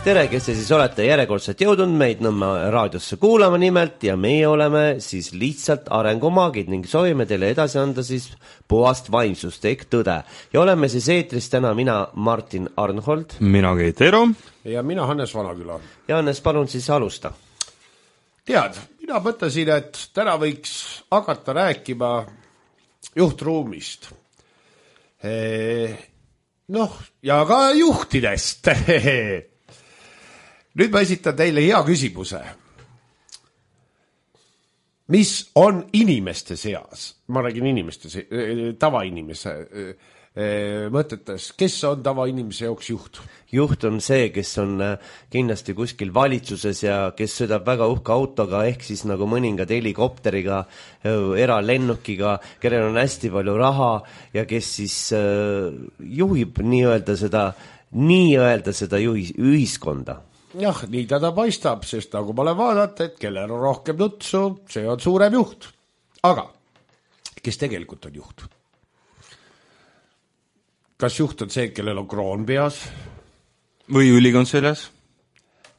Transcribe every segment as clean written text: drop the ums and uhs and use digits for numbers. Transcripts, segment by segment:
tere, kes te siis olete järjekordselt jõudnud meid Nõmme raadiosse kuulama nimelt ja meie oleme siis lihtsalt arengumaagid ning soovime teile edasi anda siis puhast vaimsust ehk tõde. Ja oleme siis eetris täna mina Martin Arnhold. Mina Keit Ero. Ja mina Hannes Vanaküla. Ja Hannes, palun siis alusta. Tead, mina mõtlesin, et täna võiks hakata rääkima juhtruumist. Ja ka juhtidest. Nüüd ma esitan teile hea küsimuse. Mis on inimeste seas? Ma räägin inimeste, tavainimese mõtetes. Kes on tavainimese jaoks juht? Juht on see, kes on kindlasti kuskil valitsuses ja kes sõidab väga uhka autoga, ehk siis nagu mõningad helikopteriga, eralennukiga, kellel on hästi palju raha ja kes siis juhib nii-öelda seda ühiskonda. Jah, nii teda paistab, sest nagu ma olen vaadata, et kellel on rohkem nutsu, see on suurem juht. Aga kes tegelikult on juht? Kas juht on see, kellel on kroon peas? Või ülikond seljas?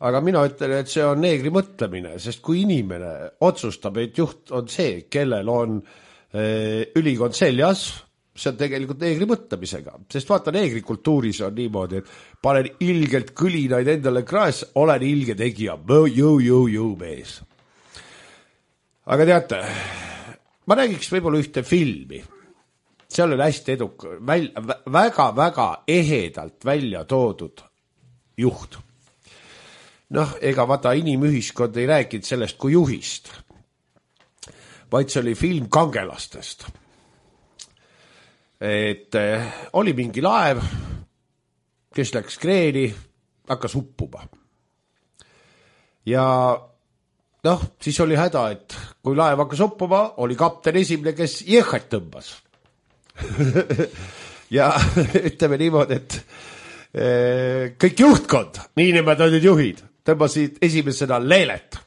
Aga mina ütlen, et see on neegri mõtlemine, sest kui inimene otsustab, et juht on see, kellel on ülikond seljas, see on tegelikult neegri mõtlemisega. Sest vaata, neegri kultuuris on niimoodi, et panen ilgelt kõlinaid endale kraes, olen ilge tegija, jõu mees. Aga teate, ma räägiks võib-olla ühte filmi. Seal on hästi väga ehedalt välja toodud juht. Ega vaata inimühiskond ei rääkinud sellest kui juhist, vaid see oli film kangelastest. Et oli mingi laev, kes läks kreeni, hakkas uppuma. Ja siis oli häda, et kui laev hakkas uppuma, oli kapten esimene, kes jehhat tõmbas. Ja ütleme niimoodi, et kõik juhtkond, nii nimetatud juhid, tõmbasid esimesena leelet.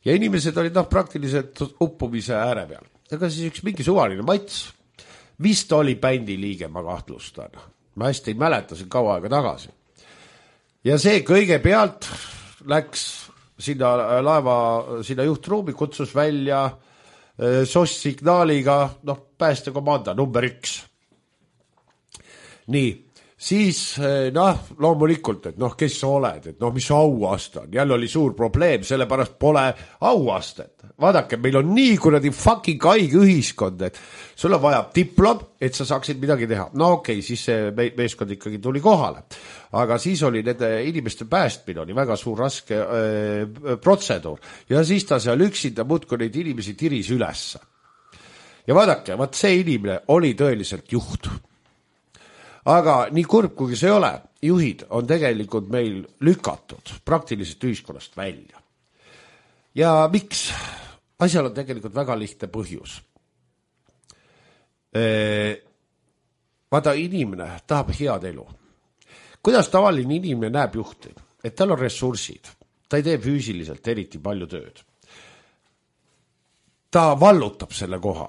Ja inimesed olid praktiliselt uppumise ääre peal. Aga siis üks mingi suvaline Mats, vist oli bändi liige, ma kahtlustan. Ma hästi ei mäleta, see kaua aega tagasi. Ja see kõigepealt läks sinna laeva, sinna juhtruumi, kutsus välja SOS-signaaliga, päästekomanda number 1. Nii, siis loomulikult, et kes sa oled, et mis auast on. Jälle oli suur probleem, sellepärast pole auastet. Vaadake, meil on nii kuradi fucking haige ühiskond, et sul on vaja diplom, et sa saaksid midagi teha. Okei, siis see meeskond ikkagi tuli kohale. Aga siis oli nende inimeste päästmine, oli väga suur raske protseduur. Ja siis ta seal üksinda muudkui neid inimesi tiris ülesse. Ja vaadake, see inimene oli tõeliselt juht. Aga nii kurb, kuigi see ei ole, juhid on tegelikult meil lükatud praktiliselt ühiskonnast välja. Ja miks? Asjal on tegelikult väga lihtne põhjus. Vaata, inimene tahab head elu. Kuidas tavaline inimene näeb juhti? Et tal on ressursid. Ta ei tee füüsiliselt eriti palju tööd. Ta vallutab selle koha.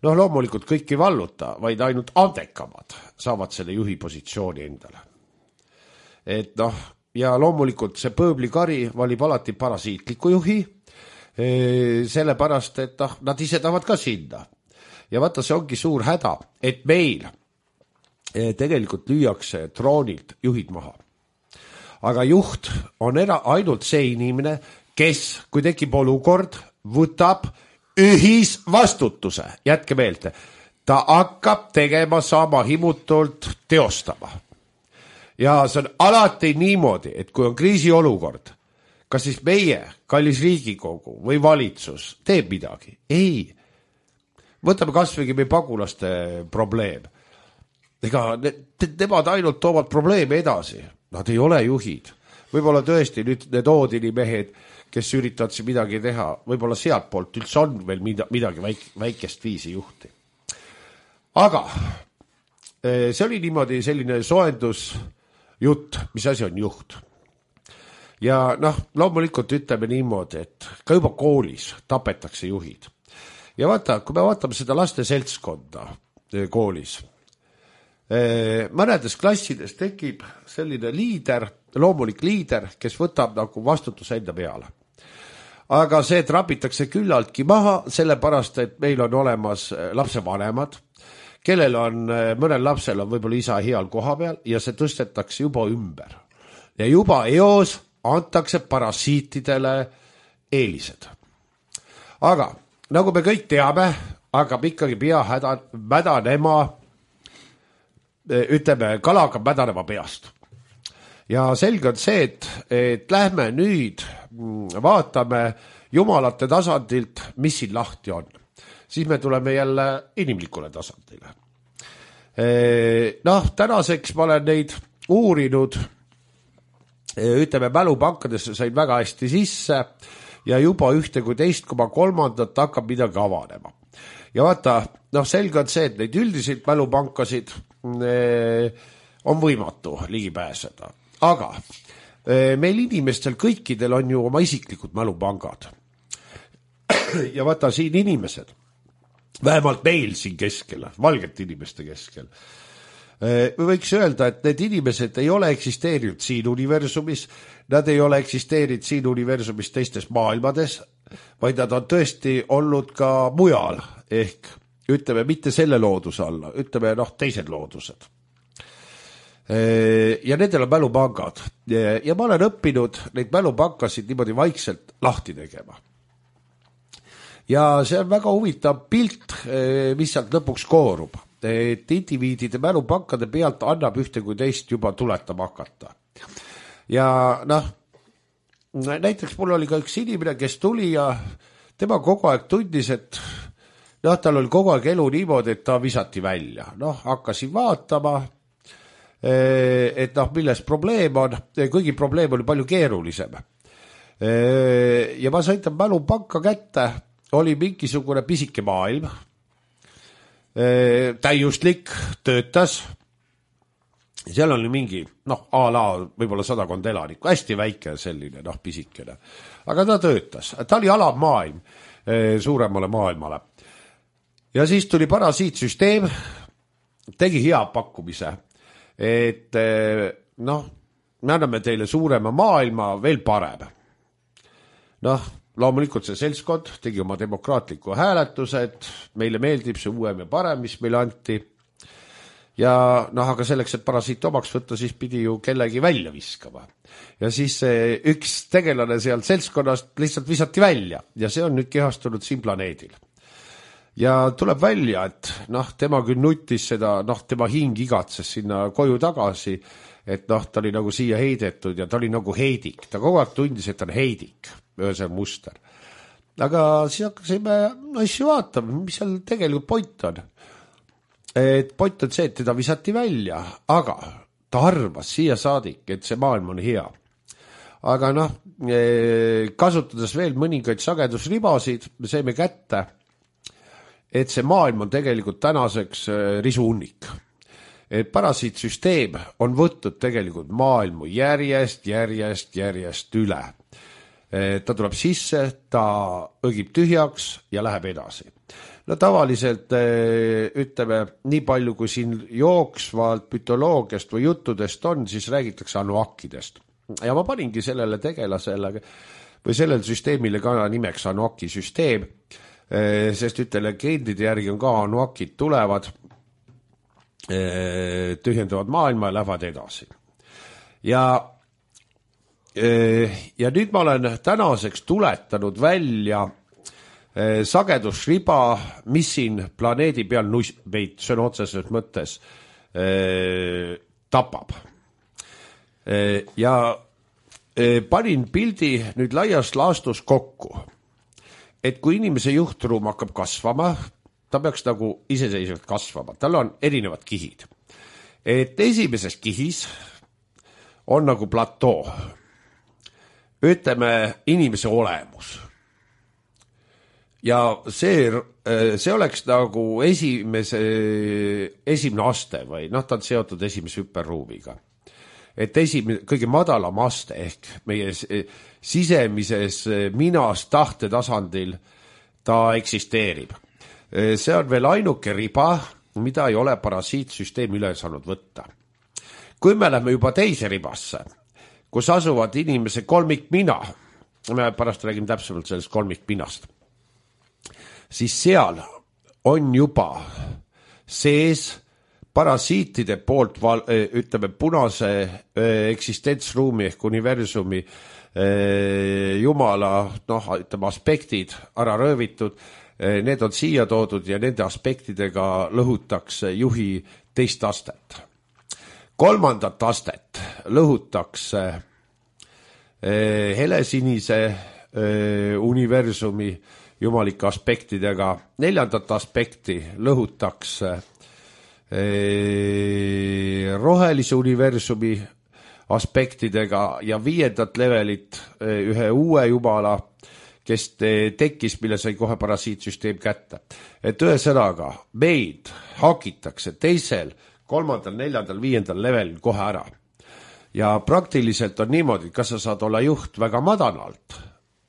Loomulikult kõik ei valluta, vaid ainult andekamad saavad selle juhi positsiooni endale. Et ja loomulikult see pööblikari valib alati parasiitliku juhi, sellepärast, et nad ise tahavad ka sinna. Ja vaata, see ongi suur häda, et meil tegelikult lüüakse troonilt juhid maha. Aga juht on ainult see inimene, kes, kui tekib olukord, võtab ühisvastutuse. Jätke meelde, ta hakkab tegema sama himutult teostama. Ja see on alati niimoodi, et kui on kriisiolukord, kas siis meie, kallis Riigikogu või valitsus teeb midagi? Ei. Võtame kasvõi meie pagulaste probleem. Ega nemad ainult toovad probleeme edasi. Nad ei ole juhid. Võib-olla tõesti nüüd need Oodini mehed, kes üritavad siin midagi teha, võib-olla sealt poolt üldse on veel midagi väikest viisi juhti. Aga see oli niimoodi selline soendusjutt, mis asi on juht. Ja loomulikult ütleme niimoodi, et ka juba koolis tapetakse juhid. Ja vaata, kui me vaatame seda laste seltskonda koolis, mõnedes klassides tekib selline liider, loomulik liider, kes võtab nagu vastutuse enda peale. Aga see trapitakse küllaltki maha, sellepärast, et meil on olemas lapsevanemad, kellel on, mõnel lapsel on võib-olla isa heal koha peal ja see tõstetakse juba ümber. Ja juba eos antakse parasiitidele eelised. Aga nagu me kõik teame, hakkab ikkagi pea mädanema, ütleme, kala hakkab mädanema peast. Ja selge on see, et lähme nüüd vaatame jumalate tasandilt, mis siin lahti on. Siis me tuleme jälle inimlikule tasandile. Tänaseks ma olen neid uurinud, ütleme, mälupankadesse sain väga hästi sisse ja juba 1,3 hakkab midagi avanema. Ja vaata, selge on see, et neid üldiseid mälupankasid on võimatu ligi pääseda. Aga meil inimestel kõikidel on ju oma isiklikud mälupangad. Ja vaata siin inimesed, vähemalt meil siin keskel, valgete inimeste keskel, me võiks öelda, et need inimesed ei ole eksisteerinud siin universumis, nad ei ole eksisteerinud siin universumis teistes maailmades, vaid nad on tõesti olnud ka mujal, ehk ütleme mitte selle looduse alla, ütleme teised loodused. Ja nendel on mälupangad ja ma olen õppinud neid mälupankasid niimoodi vaikselt lahti tegema. Ja see on väga huvitav pilt, mis sealt lõpuks koorub, et indiviidide mälupankade pealt annab ühte kui teist juba tuletama hakata. Ja näiteks mul oli ka üks inimene, kes tuli ja tema kogu aeg tundis, et tal oli kogu aeg elu niimoodi, et ta visati välja. Hakkasin vaatama, et milles probleem on, kuigi probleem oli palju keerulisem. Ja ma sain ta mälupanka kätte, oli mingisugune pisike maailm, täiuslik, töötas, seal oli mingi, a la võib-olla 100 elanikku, hästi väike selline, pisikene, aga ta töötas, ta oli alamaailm suuremale maailmale. Ja siis tuli parasiitsüsteem, tegi hea pakkumise, et me anname teile suurema maailma veel parem. Loomulikult see seltskond tegi oma demokraatliku hääletuse, et meile meeldib see uuem ja parem, mis meile anti. Ja aga selleks, et parasiit omaks võtta, siis pidi ju kellegi välja viskama. Ja siis üks tegelane seal seltskonnast lihtsalt visati välja ja see on nüüd kehastunud siin planeedil. Ja tuleb välja, et tema küll nutis seda, tema hing igatses sinna koju tagasi, et ta oli nagu siia heidetud ja ta oli nagu heidik. Ta kogu aeg tundis, et ta on heidik, ühesõnaga muster. Aga siis hakkasime asju vaatama, mis seal tegelikult point on. Et point on see, et teda visati välja, aga ta arvas siia saadik, et see maailm on hea. Aga kasutades veel mõningaid sagedusribasid, me saime kätte, et see maailm on tegelikult tänaseks risuunnik. Et parasiitsüsteem on võtnud tegelikult maailmu järjest üle. Ta tuleb sisse, ta õgib tühjaks ja läheb edasi. Tavaliselt ütleme, nii palju kui siin jooksvalt mütoloogiast või juttudest on, siis räägitakse Anuakidest. Ja ma paningi sellele tegelasele või sellele süsteemile ka nimeks Anuaki süsteem, sest legendide järgi on ka Anuakid tulevad, tühjendavad maailma ja lähevad edasi. Ja nüüd ma olen tänaseks tuletanud välja sagedusriba, mis siin planeedi peal meid sõna otseses mõttes tapab. Ja panin pildi nüüd laias laastus kokku, et kui inimese juhtruum hakkab kasvama, ta peaks nagu iseseisvalt kasvama, tal on erinevad kihid. Et esimeses kihis on nagu platoo, ütleme inimese olemus. Ja see oleks nagu esimene aste või ta on seotud esimese hüperruumiga. Et kõige madalam aste ehk meie sisemises minas tahte tasandil ta eksisteerib. See on veel ainuke riba, mida ei ole parasiitsüsteem üle saanud võtta. Kui me lähme juba teise ribasse, kus asuvad inimese kolmikmina, me pärast räägime täpsemalt sellest kolmikminast, siis seal on juba sees parasiitide poolt, ütleme, punase eksistentsruumi ehk universumi jumala, ütleme, aspektid ära röövitud, need on siia toodud ja nende aspektidega lõhutakse juhi teist astet. Kolmandat astet lõhutakse helesinise universumi jumalike aspektidega, neljandat aspekti lõhutakse rohelise universumi aspektidega ja viiendat levelit ühe uue jumala, kes tekkis, mille sai kohe parasiitsüsteem kätte. Et ühesõnaga, meid hakitakse teisel, kolmandal, neljandal, viiendal levelil kohe ära. Ja praktiliselt on niimoodi, kas sa saad olla juht väga madalalt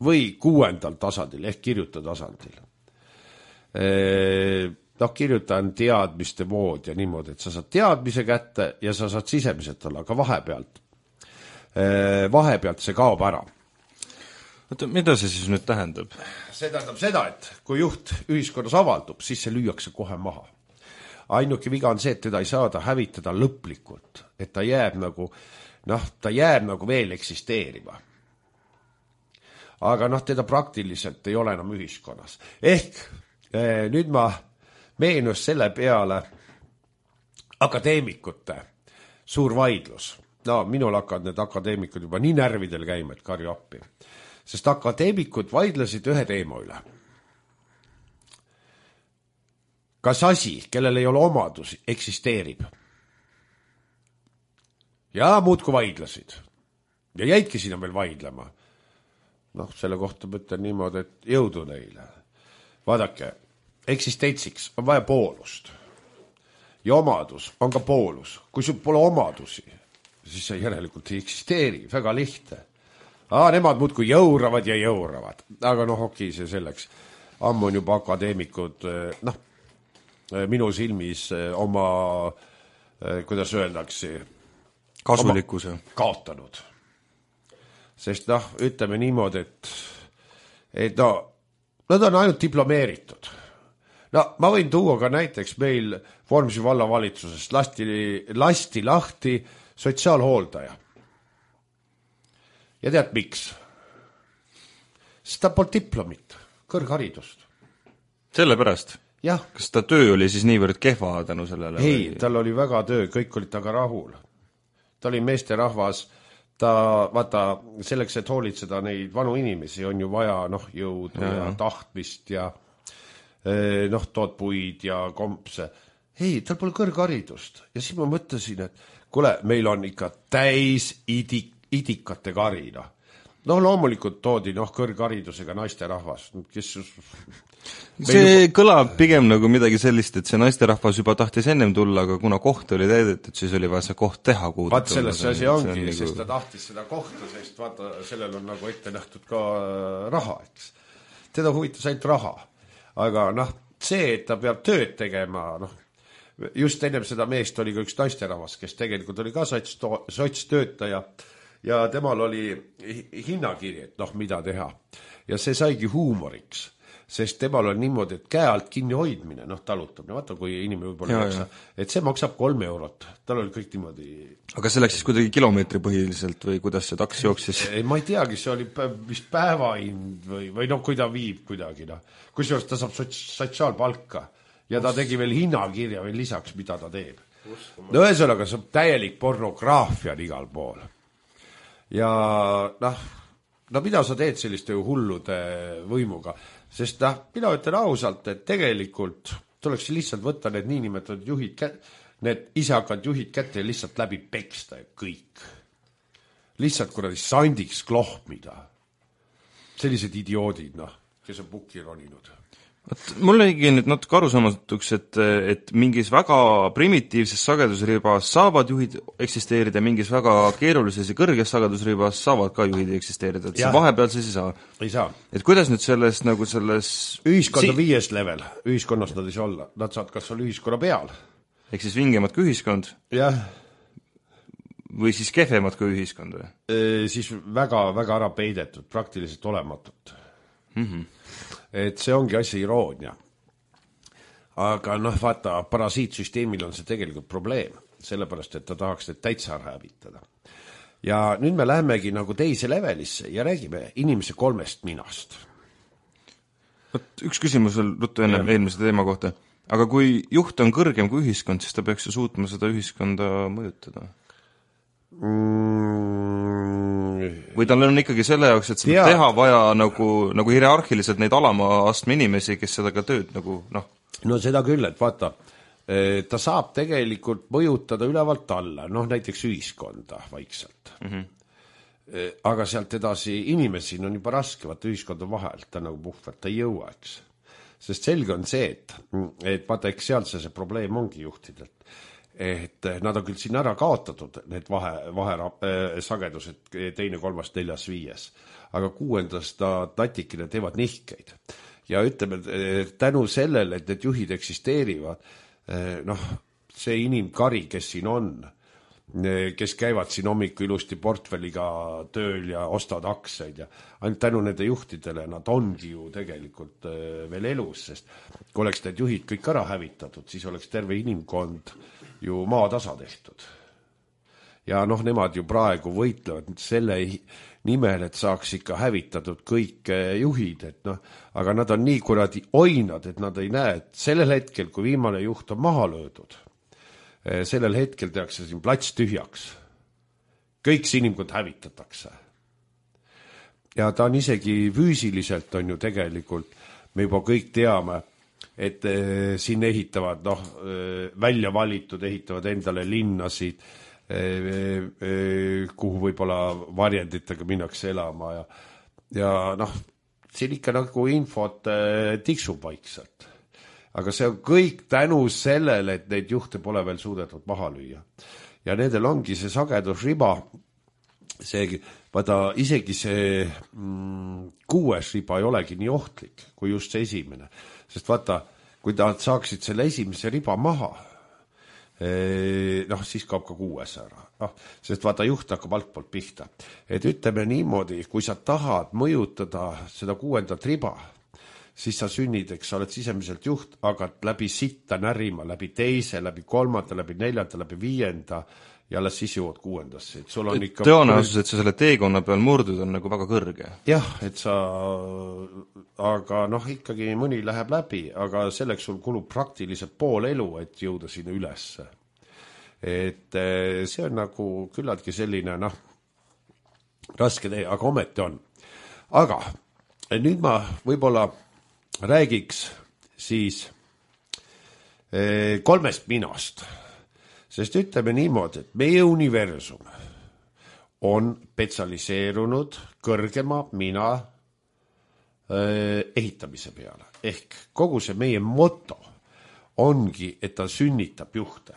või 6. tasandil ehk kirjuta tasandil. Kirjutan teadmiste mood ja niimoodi, et sa saad teadmise kätte ja sa saad sisemiselt olla, aga vahepealt see kaob ära. Oota, mida see siis nüüd tähendab? See tähendab seda, et kui juht ühiskonnas avaldub, siis see lüüakse kohe maha. Ainuke viga on see, et teda ei saada hävitada lõplikult, et ta jääb nagu veel eksisteerima. Aga teda praktiliselt ei ole enam ühiskonnas. Ehk nüüd ma meenus selle peale akadeemikute suur vaidlus. Minul hakkavad need akadeemikud juba nii närvidel käima, et karju appi. Sest akadeemikud vaidlesid ühe teema üle. Kas asi, kellel ei ole omadusi, eksisteerib? Ja muudku vaidlesid. Ja jäidki sinna veel vaidlema. Selle kohta mõtlen niimoodi, et jõudu neile. Vaadake, eksistentsiks on vaja poolust. Ja omadus on ka poolus. Kui sul pole omadusi, siis see järelikult ei eksisteeri. Väga lihtne. Nemad muudku jõuravad ja jõuravad. Aga okei, see selleks. Ammu on juba akadeemikud, minu silmis oma, kuidas öeldakse, kasulikkuse kaotanud. Sest ütleme niimoodi, et nad on ainult diplomeeritud. Ma võin tuua ka näiteks meil Vormsi vallavalitsusest lasti lahti sotsiaalhooldaja. Ja tead miks? Sest ta polnud diplomit, kõrgharidust. Sellepärast? Jah. Kas ta töö oli siis niivõrd kehva tänu sellele? Ei, tal oli väga töö, kõik olid taga rahul. Ta oli meesterahvas, vaata, selleks, et hoolitseda neid vanu inimesi, on ju vaja jõudu ja tahtmist ja tood puid ja kompse. Ei, tal pole kõrgharidust. Ja siis ma mõtlesin, et kuule, meil on ikka täis idikate karina. Loomulikult toodi kõrgharidusega naisterahvas, kes see kõlab pigem nagu midagi sellist, et see naisterahvas juba tahtis ennem tulla, aga kuna koht oli täidetud, siis oli vaja see koht teha. Vaat selles see asi ongi, sest ta tahtis seda kohta, sest vaata, sellel on nagu ette nähtud ka raha, eks. Teda huvitas ainult raha. Aga see, et ta peab tööd tegema, just ennem seda meest oli ka üks naisterahvas, kes tegelikult oli ka sotstöötaja ja temal oli hinnakiri, et mida teha. Ja see saigi huumoriks, sest temal on niimoodi, et käe alt kinni hoidmine, talutamine, vaata kui inimene võib-olla maksa, et see maksab 3 eurot. Tal oli kõik niimoodi. Aga see läks siis kuidagi kilomeetri põhiliselt või kuidas see taks jooksis? Ei, ma ei teagi, see oli vist päevahind või kui ta viib kuidagi. Kusjuures ta saab sotsiaalpalka ja ta tegi veel hinnakirja veel lisaks, mida ta teeb. Ühesõnaga, see on täielik pornograafia igal pool. Ja mida sa teed selliste hullude võimuga? Sest mina ütlen ausalt, et tegelikult tuleks lihtsalt võtta need niinimetatud juhid, need isehakkad juhid kätte ja lihtsalt läbi peksta ja kõik. Lihtsalt kuradi sandiks klohmida. Sellised idioodid, kes on pukki roninud. Mul jäigi nüüd natuke arusaamatuks, et mingis väga primitiivses sagedusribas saavad juhid eksisteerida, mingis väga keerulises ja kõrges sagedusribas saavad ka juhid eksisteerida, et see vahepeal siis ei saa. Ei saa. Et kuidas nüüd selles ühiskond on 5. level, ühiskonnas nad ei saa olla, nad saavad kas olla ühiskonna peal. Ehk siis vingemad kui ühiskond? Jah. Või siis kehvemad kui ühiskond või? Siis väga, väga ära peidetud, praktiliselt olematut. Et see ongi asja iroonia. Aga vaata, parasiitsüsteemil on see tegelikult probleem, sellepärast, et ta tahaks need täitsa ära hävitada. Ja nüüd me lähemegi nagu teise levelisse ja räägime inimese 3 minast. Üks küsimus veel ruttu enne eelmise teema kohta. Aga kui juht on kõrgem kui ühiskond, siis ta peaks ju suutma seda ühiskonda mõjutada. Või tal on ikkagi selle jaoks, et seda teha vaja nagu hierarhiliselt neid alama astme inimesi, kes seda ka tööd nagu No seda küll, et vaata, ta saab tegelikult mõjutada ülevalt alla, näiteks ühiskonda vaikselt. Aga sealt edasi inimesi on juba raske, vaata ühiskonda vahel, ta nagu puhvert, ta ei jõua, eks. Sest selge on see, et vaata, eks sealt see probleem ongi juhtidelt. Et nad on küll siin ära kaotatud, need sagedused 2, 3, 4, 5, aga 6. natikene teevad nihkeid. Ja ütleme, tänu sellele, et need juhid eksisteerivad, see inimkari, kes siin on, kes käivad siin hommiku ilusti portfelliga tööl ja ostavad aktsiaid ja ainult tänu nende juhtidele nad ongi ju tegelikult veel elus, sest kui oleks need juhid kõik ära hävitatud, siis oleks terve inimkond ju maatasa tehtud. Ja nemad ju praegu võitlevad selle nimel, et saaks ikka hävitatud kõik juhid, aga nad on nii kuradi oinad, et nad ei näe, et sellel hetkel, kui viimane juht on maha löödud, sellel hetkel tehakse siin plats tühjaks. Kõik see inimkond hävitatakse. Ja ta on isegi füüsiliselt on ju tegelikult, me juba kõik teame, et siin ehitavad, välja valitud, ehitavad endale linnasid, kuhu võib-olla varjenditega minnakse elama ja siin ikka nagu infot tiksub vaikselt. Aga see on kõik tänu sellele, et neid juhte pole veel suudetud maha lüüa. Ja nendel ongi see sagedusriba, vaata isegi see 6. riba ei olegi nii ohtlik kui just see esimene. Sest vaata, kui nad saaksid selle esimese riba maha, siis kaob ka 6 ära. Sest vaata, juht hakkab altpoolt pihta. Et ütleme niimoodi, kui sa tahad mõjutada seda 6. riba, siis sa sünnid, eks sa oled sisemiselt juht, aga läbi sitta närima, läbi 2, läbi 3, läbi 4, läbi 5 ja alles siis jõuad 6. Sul on ikka tõenäosus, et sa selle teekonna peal murdud on nagu väga kõrge. Jah, et sa, aga ikkagi mõni läheb läbi, aga selleks sul kulub praktiliselt pool elu, et jõuda sinna ülesse. Et see on nagu küllaltki selline, raske tee, aga ometi on. Aga nüüd ma võib-olla räägiks siis 3 minast. Sest ütleme niimoodi, et meie universum on spetsialiseerunud kõrgema mina ehitamise peale. Ehk kogu see meie moto ongi, et ta sünnitab juhte.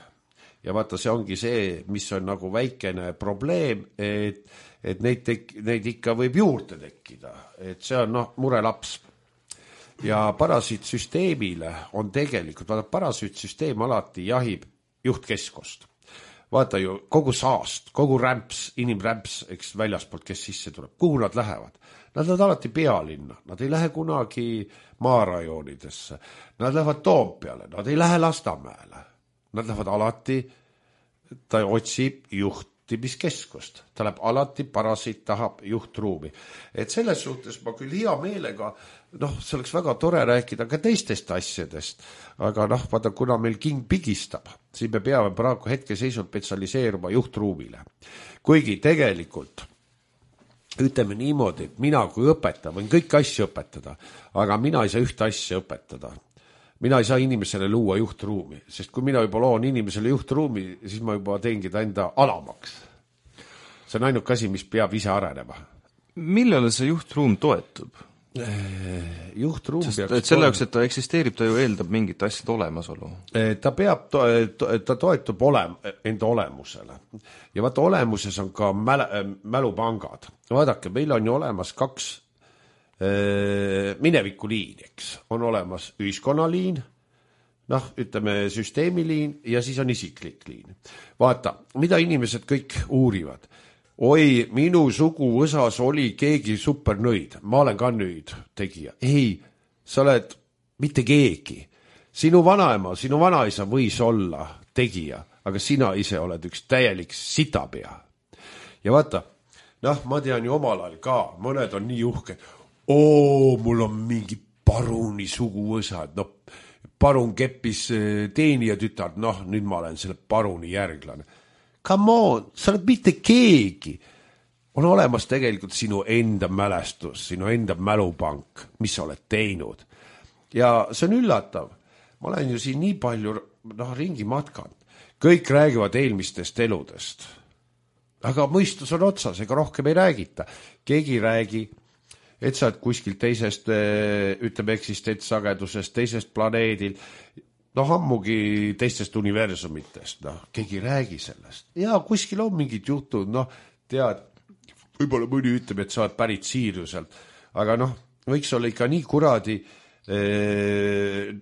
Ja vaata, see ongi see, mis on nagu väikene probleem, et neid ikka võib juurde tekkida. Et see on murelaps. Ja parasiitsüsteemile on tegelikult, vaata, parasiitsüsteem alati jahib juhtkeskost. Vaata ju kogu saast, kogu rämps, inimrämps, eks väljaspoolt, kes sisse tuleb. Kuhu nad lähevad? Nad lähevad alati pealinna. Nad ei lähe kunagi maarajoonidesse. Nad lähevad Toompeale. Nad ei lähe Lasnamäele. Nad lähevad alati, ta otsib juhtimiskeskust. Ta läheb alati, parasiit tahab juhtruumi. Et selles suhtes ma küll hea meelega, see oleks väga tore rääkida ka teistest asjadest, aga vaata, kuna meil king pigistab, siis me peame praegu hetkeseisult spetsialiseeruma juhtruumile. Kuigi tegelikult, ütleme niimoodi, et mina kui õpetaja võin kõik asju õpetada, aga mina ei saa ühte asja õpetada. Mina ei saa inimesele luua juhtruumi, sest kui mina juba loon inimesele juhtruumi, siis ma juba teengi ta enda alamaks. See on ainuke asi, mis peab ise arenema. Millele see juhtruum toetub? juhtruum et selle jaoks, et ta eksisteerib, ta ju eeldab mingit asjade olemasolu. Ta peab, ta toetub enda olemusele. Ja vaata, olemuses on ka mälupangad. Vaadake, meil on ju olemas 2 minevikuliin, eks. On olemas ühiskonnaliin, ütleme süsteemiliin ja siis on isiklik liin. Vaata, mida inimesed kõik uurivad. Oi, minu suguvõsas oli keegi supernõid, ma olen ka nõid tegija. Ei, sa oled mitte keegi. Sinu vanaema, sinu vanaisa võis olla tegija, aga sina ise oled üks täielik sitapea. Ja vaata, ma tean ju omal ajal ka, mõned on nii uhke. Mul on mingi paruni suguvõsad, parun keppis teenija tütard, nüüd ma olen selle paruni järglane. Come on, sa oled mitte keegi. On olemas tegelikult sinu enda mälestus, sinu enda mälupank, mis sa oled teinud. Ja see on üllatav. Ma olen ju siin nii palju ringi matkanud. Kõik räägivad eelmistest eludest. Aga mõistus on otsas, ega rohkem ei räägita. Keegi räägi, et sa oled kuskil teisest, ütleme eksistentsagedusest, teisest planeedil, ammugi teistest universumitest, keegi räägi sellest. Ja kuskil on mingid jutud, tead, võib-olla mõni ütleb, et sa oled pärit Siiriuselt, aga võiks olla ikka nii kuradi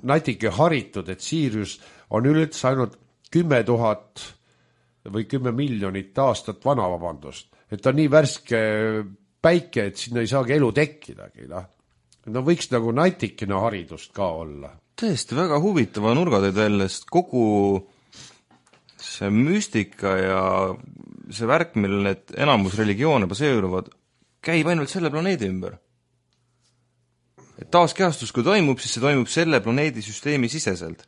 natike haritud, et Siirius on üldse ainult 10 000 või 10 miljonit aastat vana, vabandust. Et ta on nii värske päike, et sinna ei saagi elu tekkidagi. Võiks nagu natikene haridust ka olla. Tõesti, väga huvitava nurga teed välja, sest kogu see müstika ja see värk, millel need enamus religioone baseeruvad, käib ainult selle planeedi ümber. Et taaskehastus, kui toimub, siis see toimub selle planeedi süsteemi siseselt.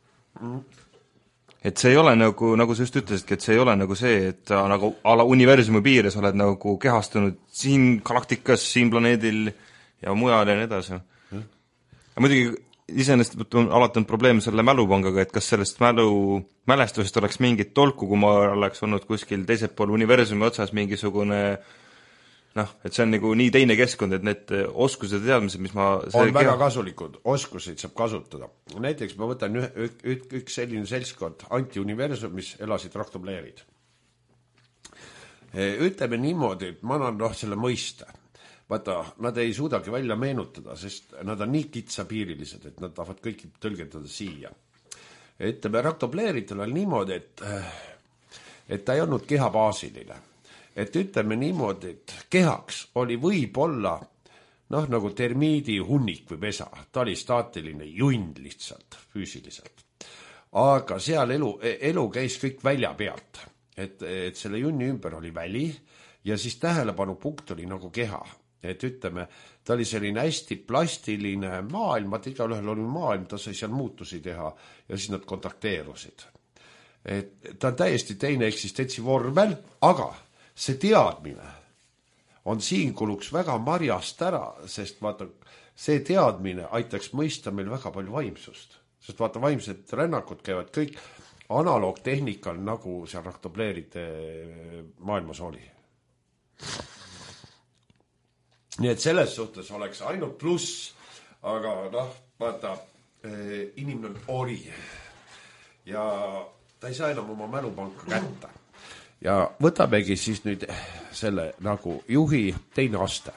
Et see ei ole nagu sa just ütlesidki, et see ei ole nagu see, et nagu ala universumi piires oled nagu kehastunud siin galaktikas, siin planeedil ja mujal ja nii edasi. Ja muidugi iseenesest on alati on probleem selle mälupangaga, et kas sellest mälestusest oleks mingit tolku, kui ma oleks olnud kuskil teisel pool universumi otsas mingisugune et see on nagu nii teine keskkond, et need oskused ja teadmised, mis ma on väga kasulikud, oskuseid saab kasutada. Näiteks ma võtan üks selline seltskond anti-universumis elasid raktobleerid. Ütleme niimoodi, et ma annan selle mõista. Vaata, nad ei suudagi välja meenutada, sest nad on nii kitsapiirilised, et nad tahavad kõiki tõlgendada siia. Ütleme, raktobleeritel on niimoodi, et ta ei olnud kehabaasiline. Et ütleme niimoodi, et kehaks oli võib-olla nagu termiidi hunnik või pesa. Ta oli staatiline jund lihtsalt, füüsiliselt. Aga seal elu käis kõik välja pealt. Et selle junni ümber oli väli ja siis tähelepanupunkt oli nagu keha. Et ütleme, ta oli selline hästi plastiline maailm, et igalühel oli maailm, ta sai seal muutusi teha ja siis nad kontakteerusid. Et ta on täiesti teine eksistentsi vormel, aga see teadmine on siin kuluks väga marjast ära, sest vaata, see teadmine aitaks mõista meil väga palju vaimsust. Sest vaata, vaimsed rännakud käivad kõik analoogtehnikal, nagu seal raktobleeride maailmas oli. Nii et selles suhtes oleks ainult pluss, aga vaata, inimene on ori ja ta ei saa enam oma mälupanka kätte. Ja võtamegi siis nüüd selle nagu juhi teine aste.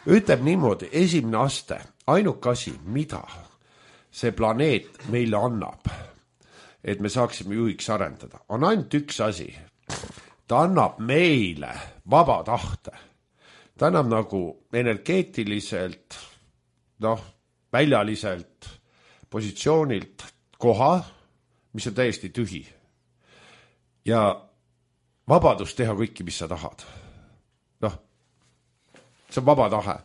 Ütleb niimoodi, esimene aste, ainuke asi, mida see planeet meile annab, et me saaksime juhiks arendada, on ainult üks asi. Ta annab meile vaba tahte. Ta annab nagu energeetiliselt, väljaliselt, positsioonilt koha, mis on täiesti tühi. Ja vabadus teha kõiki, mis sa tahad. See on vaba tahe.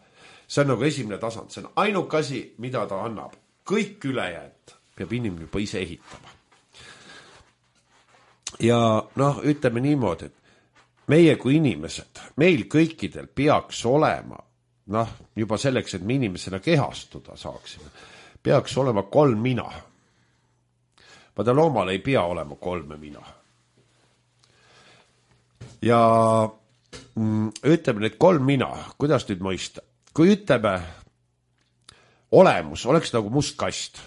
See on nagu esimene tasand. See on ainuke asi, mida ta annab. Kõik ülejäänud peab inimene juba ise ehitama. Ja ütleme niimoodi, et meie kui inimesed, meil kõikidel peaks olema, juba selleks, et me inimesena kehastuda saaksime, peaks olema 3 mina. Vaata, loomal ei pea olema 3 mina. Ja ütleme need 3 mina, kuidas nüüd mõista? Kui ütleme, olemus oleks nagu must kast,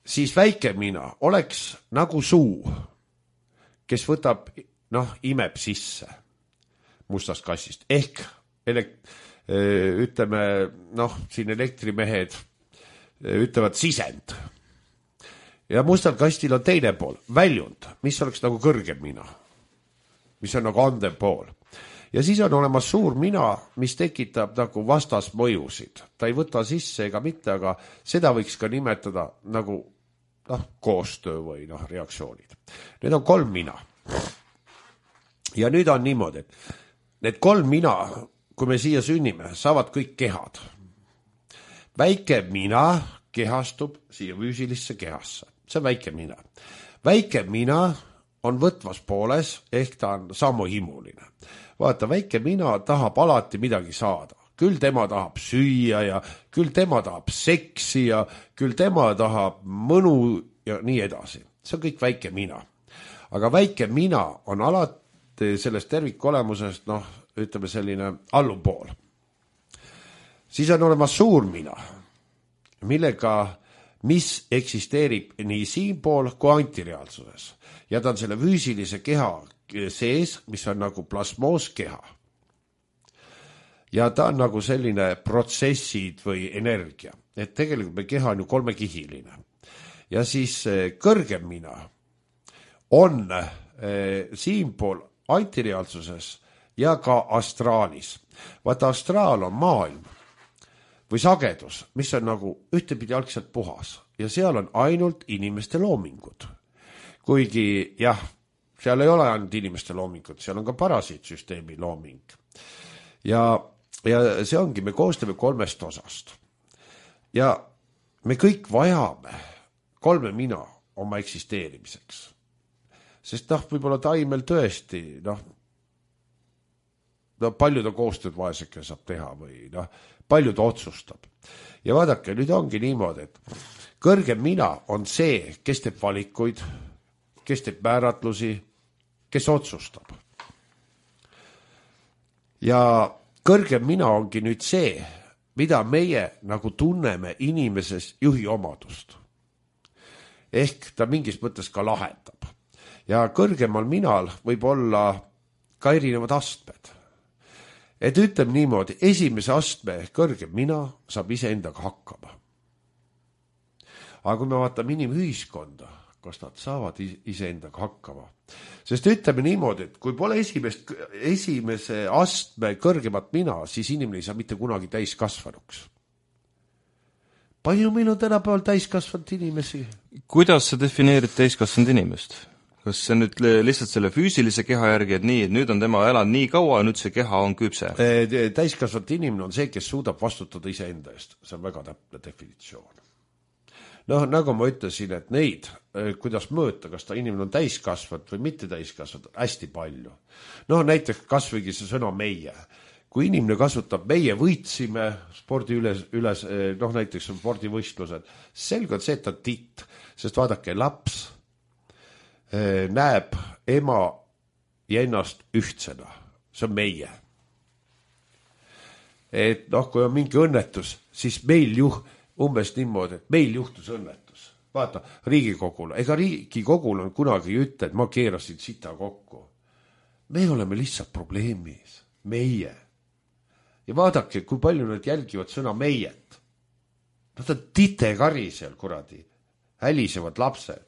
siis väike mina oleks nagu suu, kes võtab, imeb sisse mustast kastist. Ehk ütleme, siin elektrimehed ütlevad sisend. Ja mustal kastil on teine pool, väljund, mis oleks nagu kõrgem mina, mis on nagu andev pool. Ja siis on olemas suur mina, mis tekitab nagu vastasmõjusid. Ta ei võta sisse ega mitte, aga seda võiks ka nimetada nagu koostöö või reaktsioonid. Need on 3 mina. Ja nüüd on niimoodi, et need 3 mina, kui me siia sünnime, saavad kõik kehad. Väike mina kehastub siia füüsilisse kehasse. See on väike mina. Väike mina on võtvas pooles, ehk ta on samuhimuline. Vaata, väike mina tahab alati midagi saada. Küll tema tahab süüa ja küll tema tahab seksi ja küll tema tahab mõnu ja nii edasi. See on kõik väike mina. Aga väike mina on alati sellest tervikolemusest, ütleme selline allupool. Siis on olemas suur mina, mis eksisteerib nii siinpool kui antireaalsuses. Ja ta on selle füüsilise keha sees, mis on nagu plasmooskeha. Ja ta on nagu selline protsessid või energia. Et tegelikult me keha on ju 3-kihiline. Ja siis kõrgem mina on siinpool antireaalsuses ja ka astraalis. Vaata, astraal on maailm või sagedus, mis on nagu ühtepidi algselt puhas. Ja seal on ainult inimeste loomingud. Kuigi, seal ei ole ainult inimeste loomingud, seal on ka parasiitsüsteemi looming. Ja see ongi, me koostame 3 osast. Ja me kõik vajame 3 mina oma eksisteerimiseks. Sest võib-olla taimel tõesti, palju ta koostööd vaeseke saab teha või palju ta otsustab. Ja vaadake, nüüd ongi niimoodi, et kõrgem mina on see, kes teeb valikuid, kes teeb määratlusi, kes otsustab. Ja kõrgem mina ongi nüüd see, mida meie nagu tunneme inimeses juhi omadust. Ehk ta mingis mõttes ka lahendab. Ja kõrgemal minal võib olla ka erinevad astmed. Et ütleme niimoodi, esimese astme kõrgem mina saab iseendaga hakkama. Aga kui me vaatame inimühiskonda, kas nad saavad iseendaga hakkama? Sest ütleme niimoodi, et kui pole esimese astme kõrgemat mina, siis inimene ei saa mitte kunagi täiskasvanuks. Palju meil on tänapäeval täiskasvanud inimesi? Kuidas sa defineerid täiskasvanud inimest? Kas see nüüd lihtsalt selle füüsilise keha järgi, et nii, et nüüd on tema elanud nii kaua ja nüüd see keha on küpse? Täiskasvanud inimene on see, kes suudab vastutada iseenda eest. See on väga täpne definitsioon. Nagu ma ütlesin, et neid, kuidas mõõta, kas ta inimene on täiskasvanud või mitte täiskasvanud, hästi palju. Näiteks kasvõigi see sõna meie. Kui inimene kasutab meie võitsime spordi üles, näiteks spordivõistlused, selge on see, et ta on titt, sest vaadake, laps näeb ema ja ennast ühtsena. See on meie. Et kui on mingi õnnetus, siis meil umbes niimoodi, et meil juhtus õnnetus. Vaata, Riigikogul. Ega Riigikogul on kunagi ütle, et ma keerasin sita kokku. Me oleme lihtsalt probleemis. Meie. Ja vaadake, kui palju nad jälgivad sõna meiet. Nad on titekari seal, kuradi. Hälisevad lapsed.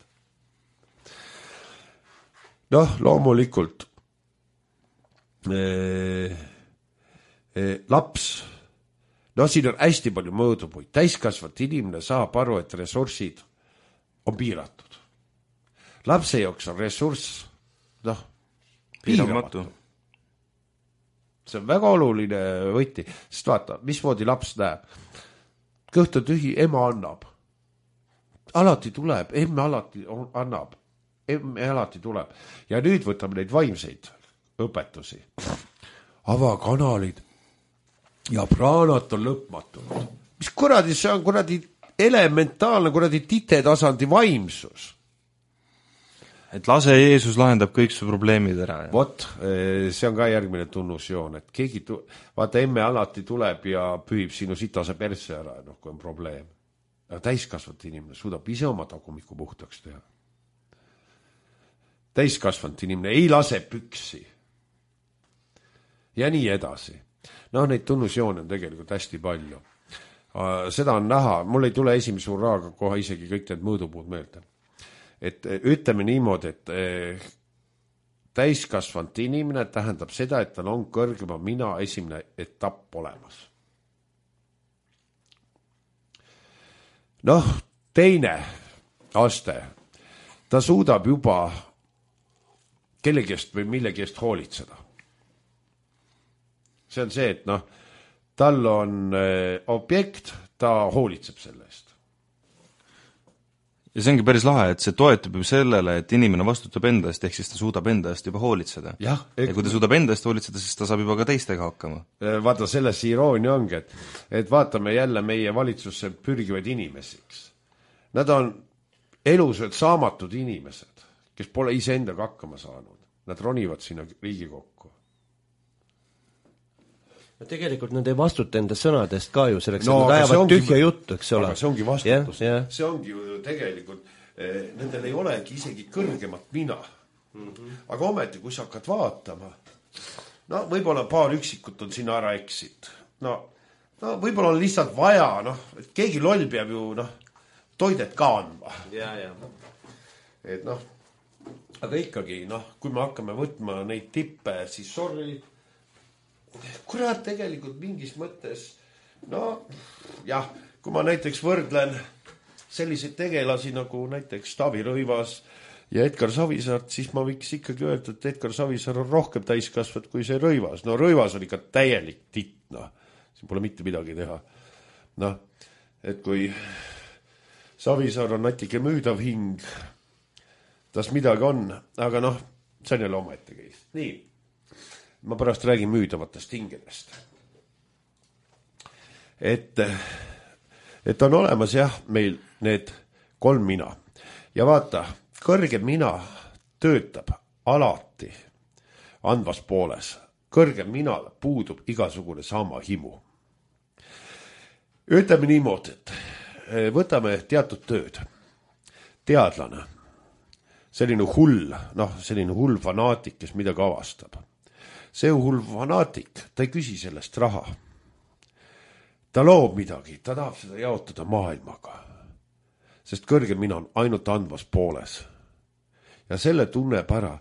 Loomulikult laps, siin on hästi palju mõõdupuid. Täiskasvat inimene saab aru, et ressursid on piiratud. Lapse jaoks on ressurss piiramatu. See on väga oluline võti, sest vaata, mismoodi laps näeb. Kõht on tühi, ema annab. Alati tuleb, emme alati annab. Emme alati tuleb. Ja nüüd võtame neid vaimseid õpetusi. Avakanalid ja praanat on lõpmatud. Mis kuradi, see on elementaarne titetasandi vaimsus. et lase Jeesus lahendab kõik su probleemid ära. Vot, see on ka järgmine tunnusjoon, et keegi vaata, emme alati tuleb ja pühib sinu sitase persse ära, noh, kui on probleem. Aga täiskasvanud inimene suudab ise oma tagumiku puhtaks teha. Täiskasvanud inimene ei lase püksi. Ja nii edasi. No neid tunnusjoone on tegelikult hästi palju. Seda on näha, mul ei tule esimese urraaga kohe isegi kõik need mõõdupuud meelde. Et ütleme niimoodi, et täiskasvanud inimene tähendab seda, et tal on kõrgema mina esimene etapp olemas. Noh, teine aste, ta suudab juba kellegist või millegist hoolitseda. See on see, et noh, tal on objekt, ta hoolitseb selle eest. Ja see ongi päris lahe, et see toetub ju sellele, et inimene vastutab enda eest, ehk siis ta suudab enda eest juba hoolitseda. Ja kui ta suudab enda eest hoolitseda, siis ta saab juba ka teistega hakkama. Vaata, selles iroonia ongi, et vaatame jälle meie valitsusse pürgivaid inimesiks. Nad on elused saamatud inimesed, kes pole iseendaga hakkama saanud. Nad ronivad sinna Riigikokku. No tegelikult nad ei vastuta enda sõnadest ka ju selleks, et nad ajavad tühja juttu, eks ole. Aga see ongi vastutus. See ongi ju tegelikult, nendel ei olegi isegi kõrgemat mina. Aga ometi, kui sa hakkad vaatama, no võib-olla paar üksikut on sinna ära eksid. No võib-olla on lihtsalt vaja, et keegi loll peab ju toidet ka andma. Et aga ikkagi, kui me hakkame võtma neid tippe, siis sorry, kurat tegelikult mingis mõttes, kui ma näiteks võrdlen selliseid tegelasi nagu näiteks Taavi Rõivas ja Edgar Savisaart, siis ma võiks ikkagi öelda, et Edgar Savisaar on rohkem täiskasvad kui see Rõivas. No Rõivas on ikka täielik titt, siin pole mitte midagi teha. Et kui Savisaar on natuke müüdav hing, tas midagi on, aga see on jälle omaette käis. Nii. Ma pärast räägin müüdavatest hingedest. Et on olemas meil need 3 mina. Ja vaata, kõrgem mina töötab alati andvas pooles. Kõrgem minal puudub igasugune sama himu. Ütleme niimoodi, et võtame teatud tööd. Teadlane, selline hull fanaatik, kes midagi avastab. See hull fanaatik, ta ei küsi sellest raha. Ta loob midagi, ta tahab seda jaotada maailmaga. Sest kõrgem mina on ainult andvas pooles. Ja selle tunneb ära,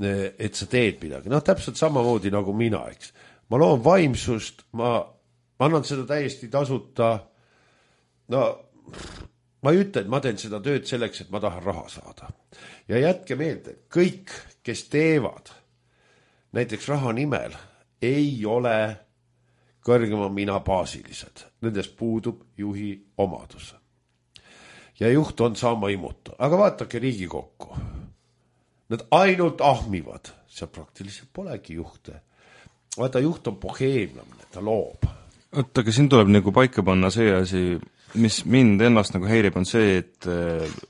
et sa teed midagi. Täpselt samamoodi nagu mina, eks. Ma loon vaimsust, ma annan seda täiesti tasuta. Ma ei ütle, et ma teen seda tööd selleks, et ma tahan raha saada. Ja jätke meelde, kõik, kes teevad näiteks raha nimel, ei ole kõrgema mina baasilised. Nendest puudub juhi omadus. Ja juht on sama imutu. Aga vaatake Riigikokku. Nad ainult ahmivad. Seal praktiliselt polegi juhte. Vaata, juht on boheemlamine, ta loob. Aga siin tuleb nagu paika panna see asi, mis mind ennast nagu häirib, on see, et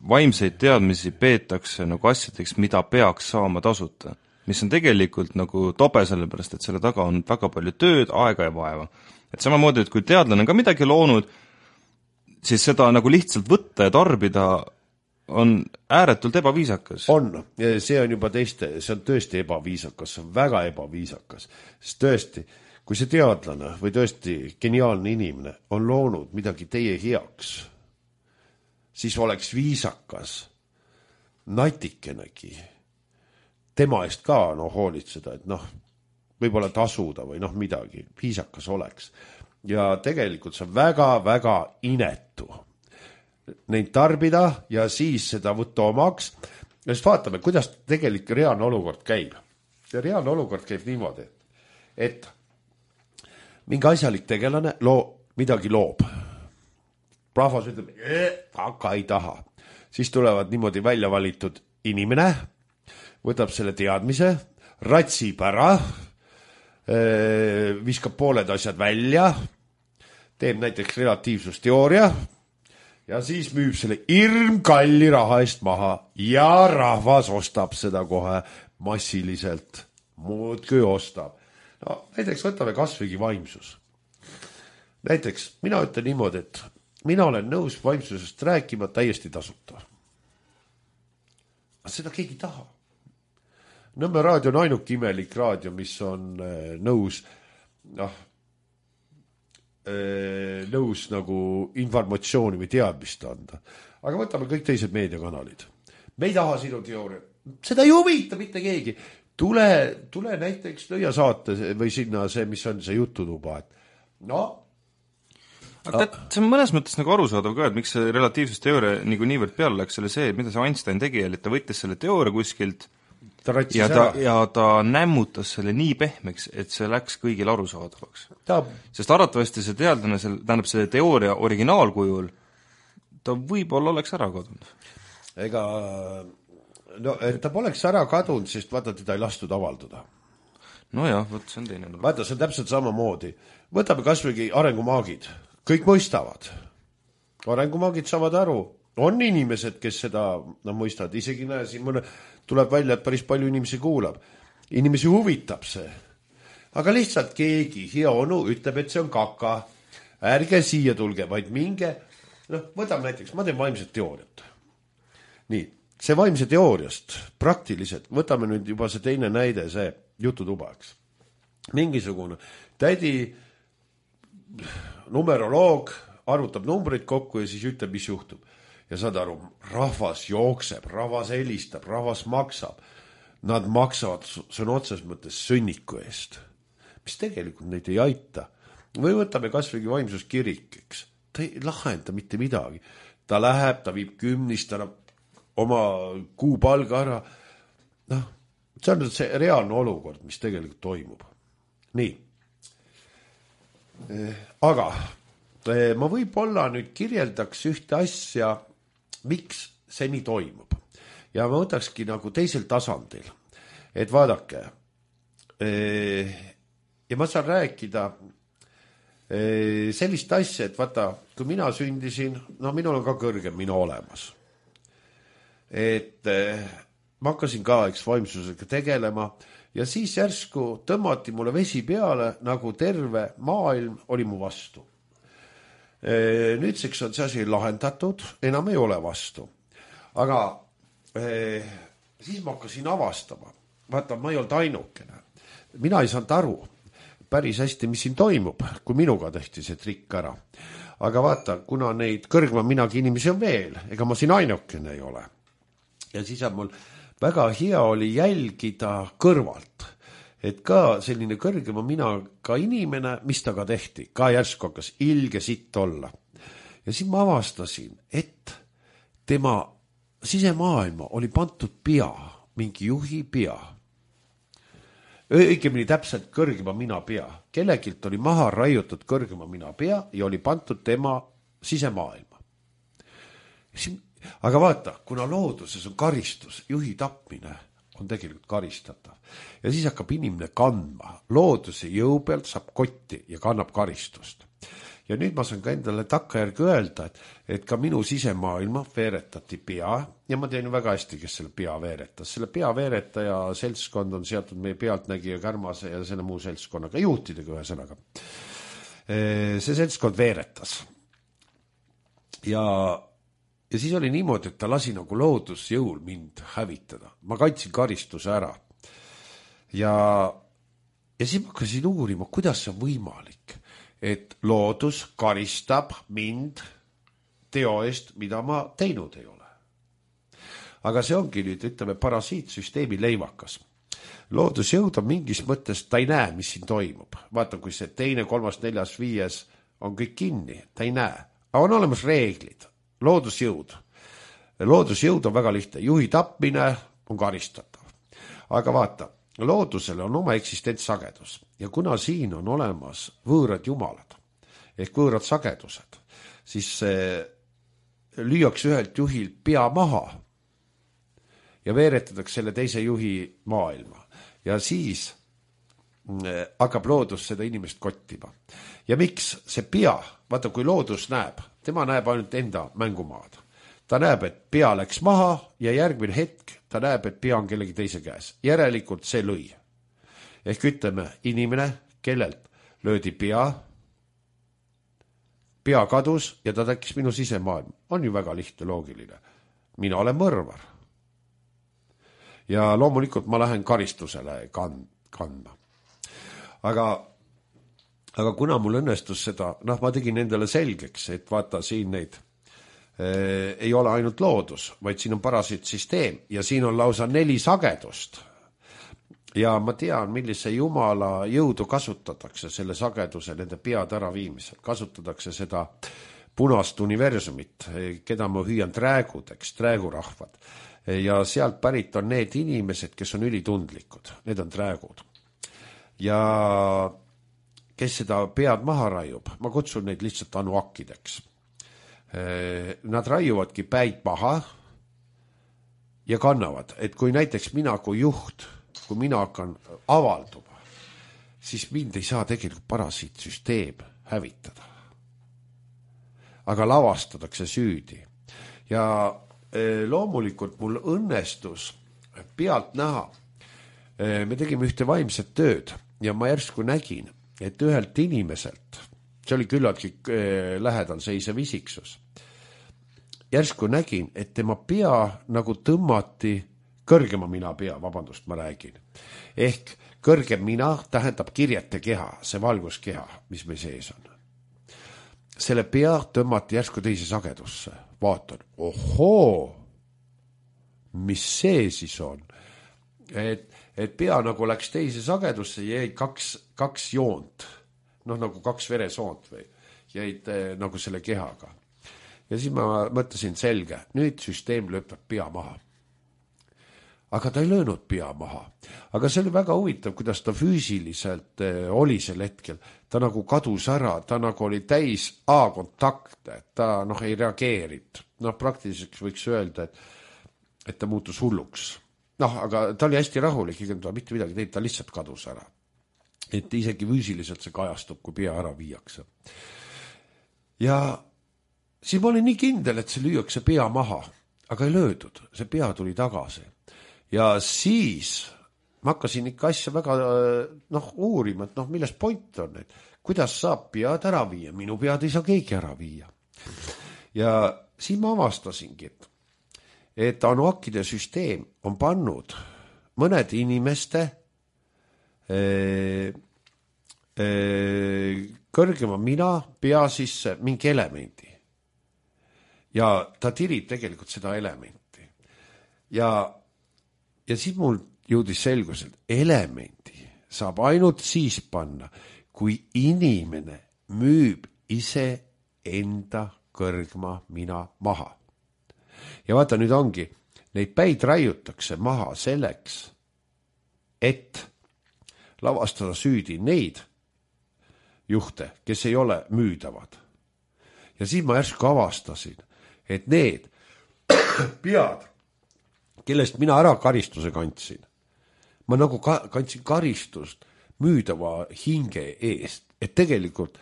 vaimseid teadmisi peetakse nagu asjadeks, mida peaks saama tasuta. Mis on tegelikult nagu tobe sellepärast, et selle taga on väga palju tööd, aega ja vaeva. Et samamoodi, et kui teadlane on ka midagi loonud, siis seda nagu lihtsalt võtta ja tarbida on ääretult ebaviisakas. On, see on juba see on tõesti ebaviisakas, see on väga ebaviisakas. Sest tõesti, kui see teadlane või tõesti geniaalne inimene on loonud midagi teie heaks, siis oleks viisakas natikenegi tema eest ka hoolitseda, et võib-olla tasuda või midagi, viisakas oleks. Ja tegelikult see on väga-väga inetu neid tarbida ja siis seda võtta omaks. Ja siis vaatame, kuidas tegelikult reaalne olukord käib. Ja reaalne olukord käib niimoodi, et mingi asjalik tegelane midagi loob. Rahvas ütleb, aga ei taha. Siis tulevad niimoodi välja valitud inimene, võtab selle teadmise, ratsib ära, viskab pooled asjad välja, teeb näiteks relatiivsusteooria ja siis müüb selle hirmkalli raha eest maha ja rahvas ostab seda kohe massiliselt, muudkui ostab. No näiteks võtame kasvõigi vaimsus. Näiteks mina ütlen niimoodi, et mina olen nõus vaimsusest rääkima täiesti tasuta. Aga seda keegi taha. Nõmme raadio on ainuke imelik raadio, mis on nõus nagu informatsiooni või teadmist anda. Aga võtame kõik teised meediakanalid. Me ei taha sinu teooria. Seda ei huvita mitte keegi. Tule näiteks lõia saate või sinna see, mis on see jututuba. Aga see on mõnes mõttes nagu arusaadav ka, et miks see relatiivsusteooria nagu niivõrd peale läks selle see, mida see Einstein tegi, et ta võttis selle teooria kuskilt ja ta nämmutas selle nii pehmeks, et see läks kõigile arusaadavaks. Sest arvatavasti see teadlane, tähendab see teooria originaalkujul, ta võib-olla oleks ära kadunud. Et ta poleks ära kadunud, sest vaata, teda ei lastud avaldada. No jah, see on teine. Vaata, see on täpselt samamoodi. Võtame kasvõigi arengumaagid. Kõik mõistavad. Arengumaagid saavad aru. On inimesed, kes seda mõistavad. Isegi näe, siin tuleb välja, et päris palju inimesi kuulab. Inimesi huvitab see. Aga lihtsalt keegi, hea onu, ütleb, et see on kaka. Ärge siia tulge, vaid minge. Võtame näiteks, ma teen vaimset teooriat. Nii, see vaimse teooriast praktiliselt, võtame nüüd juba see teine näide, see jututubaks. Mingisugune tädi numeroloog arvutab numbreid kokku ja siis ütleb, mis juhtub. Ja saad aru, rahvas jookseb, rahvas helistab, rahvas maksab. Nad maksavad sõna otses mõttes sõnniku eest, mis tegelikult neid ei aita. Või võtame kasvõigi vaimsuskirik, eks. Ta ei lahenda mitte midagi. Ta läheb, ta viib kümnist, ta oma kuupalga ära. See on see reaalne olukord, mis tegelikult toimub. Nii. Aga ma võib-olla nüüd kirjeldaks ühte asja, miks see nii toimub. Ja ma võtakski nagu teisel tasandil, et vaadake, ja ma saan rääkida sellist asja, et vaata, kui mina sündisin, minul on ka kõrgem mina olemas. Et ma hakkasin ka vaimsusega tegelema ja siis järsku tõmmati mulle vesi peale, nagu terve maailm oli mu vastu. Nüüdseks on see asi lahendatud, enam ei ole vastu. Aga siis ma hakkasin avastama. Vaata, ma ei olnud ainukene. Mina ei saanud aru päris hästi, mis siin toimub, kui minuga tehti see trikk ära. Aga vaata, kuna neid kõrgma minagi inimesi on veel, ega ma siin ainukene ei ole. Ja siis on mul väga hea oli jälgida kõrvalt, et ka selline kõrgema mina ka inimene, mis ta ka tehti, ka järsku hakkas ilge sitt olla. Ja siis ma avastasin, et tema sisemaailma oli pandud pea, mingi juhi pea. Õigemini täpselt kõrgema mina pea. Kellegilt oli maha raiutud kõrgema mina pea ja oli pandud tema sisemaailma. Aga vaata, kuna looduses on karistus, juhi tapmine on tegelikult karistatav. Ja siis hakkab inimene kandma. Looduse jõu pealt saab kotti ja kannab karistust. Ja nüüd ma saan ka endale takkajärgi öelda, et ka minu sisemaailma veeretati pea ja ma tean väga hästi, kes selle pea veeretas. Selle pea veeretaja seltskond on seatud meie Pealtnägija, Kärmase ja selle muu seltskonnaga, juhtidega ühe sõnaga. See seltskond veeretas. Ja siis oli niimoodi, et ta lasi nagu loodusjõul mind hävitada. Ma kaitsin karistuse ära. Ja siis ma hakkasin uurima, kuidas see on võimalik, et loodus karistab mind teo eest, mida ma teinud ei ole. Aga see ongi nüüd, ütleme, parasiitsüsteemi leivakas. Loodusjõud on mingis mõttes, ta ei näe, mis siin toimub. Vaata, kui see 2., 3., 4., 5. on kõik kinni, ta ei näe. Aga on olemas reeglid. Loodusjõud. Loodusjõud on väga lihtne. Juhi tapmine on karistatav. Aga vaata, loodusele on oma eksistentsagedus ja kuna siin on olemas võõrad jumalad ehk võõrad sagedused, siis lüüakse ühelt juhil pea maha ja veeretatakse selle teise juhi maailma ja siis hakkab loodus seda inimest kottima. Ja miks see pea, vaata kui loodus näeb, tema näeb ainult enda mängumaad. Ta näeb, et pea läks maha ja järgmine hetk ta näeb, et pea on kellegi teise käes. Järelikult see lõi. Ehk ütleme, inimene, kellelt löödi pea kadus ja ta tekkis minu sisemaailm. On ju väga lihtne, loogiline. Mina olen mõrvar. Ja loomulikult ma lähen karistusele kandma. Aga kuna mul õnnestus seda, ma tegin endale selgeks, et vaata siin neid ei ole ainult loodus, vaid siin on parasiitsüsteem ja siin on lausa 4 sagedust. Ja ma tean, millise jumala jõudu kasutatakse selle sageduse nende pead ära viimisel. Kasutatakse seda punast universumit, keda ma hüüan träägudeks, träägurahvad. Ja sealt pärit on need inimesed, kes on ülitundlikud. Need on träägud. Ja kes seda pead maha raiub, ma kutsun neid lihtsalt anuakkideks. Nad raiuvadki päid maha ja kannavad, et kui näiteks mina kui juht, kui mina hakkan avalduma, siis mind ei saa tegelikult parasiitsüsteem hävitada. Aga lavastatakse süüdi. Ja loomulikult mul õnnestus pealt näha. Me tegime ühte vaimset tööd ja ma järsku nägin, et ühelt inimeselt, see oli küllaltki lähedal seisev isiksus, järsku nägin, et tema pea nagu tõmmati kõrgema mina pea, vabandust, ma räägin. Ehk kõrgem mina tähendab kirjete keha, see valguskeha, mis meil sees on. Selle pea tõmmati järsku teise sagedusse. Vaatan, ohoo, mis see siis on? Et pea nagu läks teise sagedusse ja jäid kaks joont, nagu 2 veresoont või jäid nagu selle kehaga. Ja siis ma mõtlesin selge, nüüd süsteem lööb pea maha. Aga ta ei löönud pea maha. Aga see oli väga huvitav, kuidas ta füüsiliselt oli sel hetkel. Ta nagu kadus ära, ta nagu oli täis A-kontakte, ta ei reageerinud. Praktiliselt võiks öelda, et ta muutus hulluks. Aga ta oli hästi rahulik, ta mitte midagi teinud, ta lihtsalt kadus ära. Et isegi füüsiliselt see kajastub, kui pea ära viiakse. Ja siis ma olin nii kindel, et see lüüakse pea maha, aga ei löödud, see pea tuli tagasi. Ja siis ma hakkasin ikka asja väga uurima, et milles point on, et kuidas saab pead ära viia, minu pead ei saa keegi ära viia. Ja siis ma avastasingi, et anuakkide süsteem on pannud mõned inimeste kõrgema mina pea sisse mingi elemendi. Ja ta tirib tegelikult seda elementi. Ja siis mul jõudis selgus, et elementi saab ainult siis panna, kui inimene müüb ise enda kõrgma mina maha. Ja vaata, nüüd ongi, neid päid raiutakse maha selleks, et lavastada süüdi neid juhte, kes ei ole müüdavad. Ja siis ma järsku avastasin, et need pead, kellest mina ära karistuse kandsin, ma nagu kandsin karistust müüdava hinge eest, et tegelikult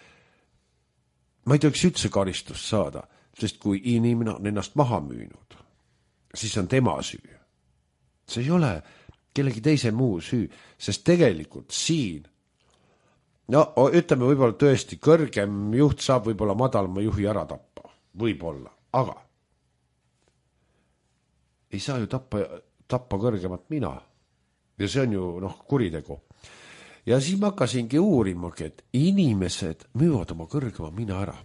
ma ei tohiks üldse karistust saada, sest kui inimene on ennast maha müünud, siis on tema süü. See ei ole kellegi teise muu süü, sest tegelikult siin, ütleme võib-olla tõesti, kõrgem juht saab võib-olla madalama juhi ära tappa, võib-olla, aga ei saa ju tappa kõrgemat mina. Ja see on ju kuritegu. Ja siis ma hakkasingi uurimagi, et inimesed müüvad oma kõrgema mina ära.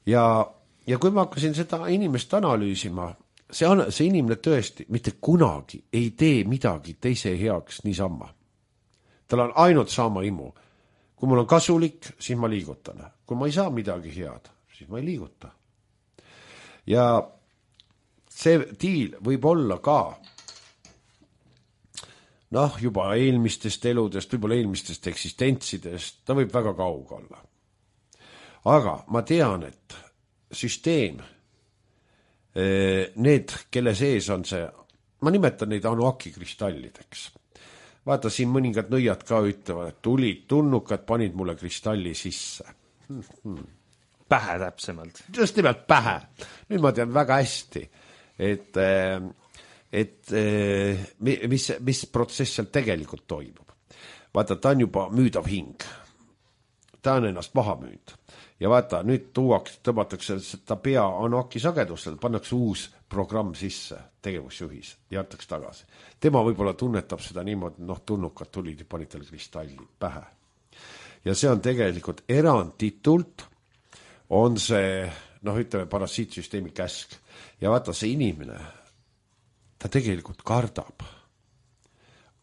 Ja kui ma hakkasin seda inimest analüüsima, see inimene tõesti mitte kunagi ei tee midagi teise heaks niisama. Tal on ainult sama imu. Kui mul on kasulik, siis ma liigutan. Kui ma ei saa midagi head, siis ma ei liiguta. Ja see diil võib olla ka juba eelmistest eludest, võib-olla eelmistest eksistentsidest, ta võib väga kauge olla. Aga ma tean, et süsteem, need, kelle sees on see, ma nimetan neid anuaki kristallideks. Vaata, siin mõningad nõiad ka ütlevad, et tulid tunnukad, panid mulle kristalli sisse. pähe täpsemalt. Just nimelt pähe. Nüüd ma tean väga hästi, et mis protsess seal tegelikult toimub. Vaata, ta on juba müüdav hing. Ta on ennast maha müünud. Ja vaata, nüüd tõmmatakse seda pea Anoki sagedusel, pannakse uus programm sisse, tegevusjuhis, ja jätaks tagasi. Tema võib-olla tunnetab seda niimoodi, tulnukad tulid ja panid tal kristalli pähe. Ja see on tegelikult eranditult, on see, ütleme, parasiitsüsteemi käsk. Ja vaata, see inimene, ta tegelikult kardab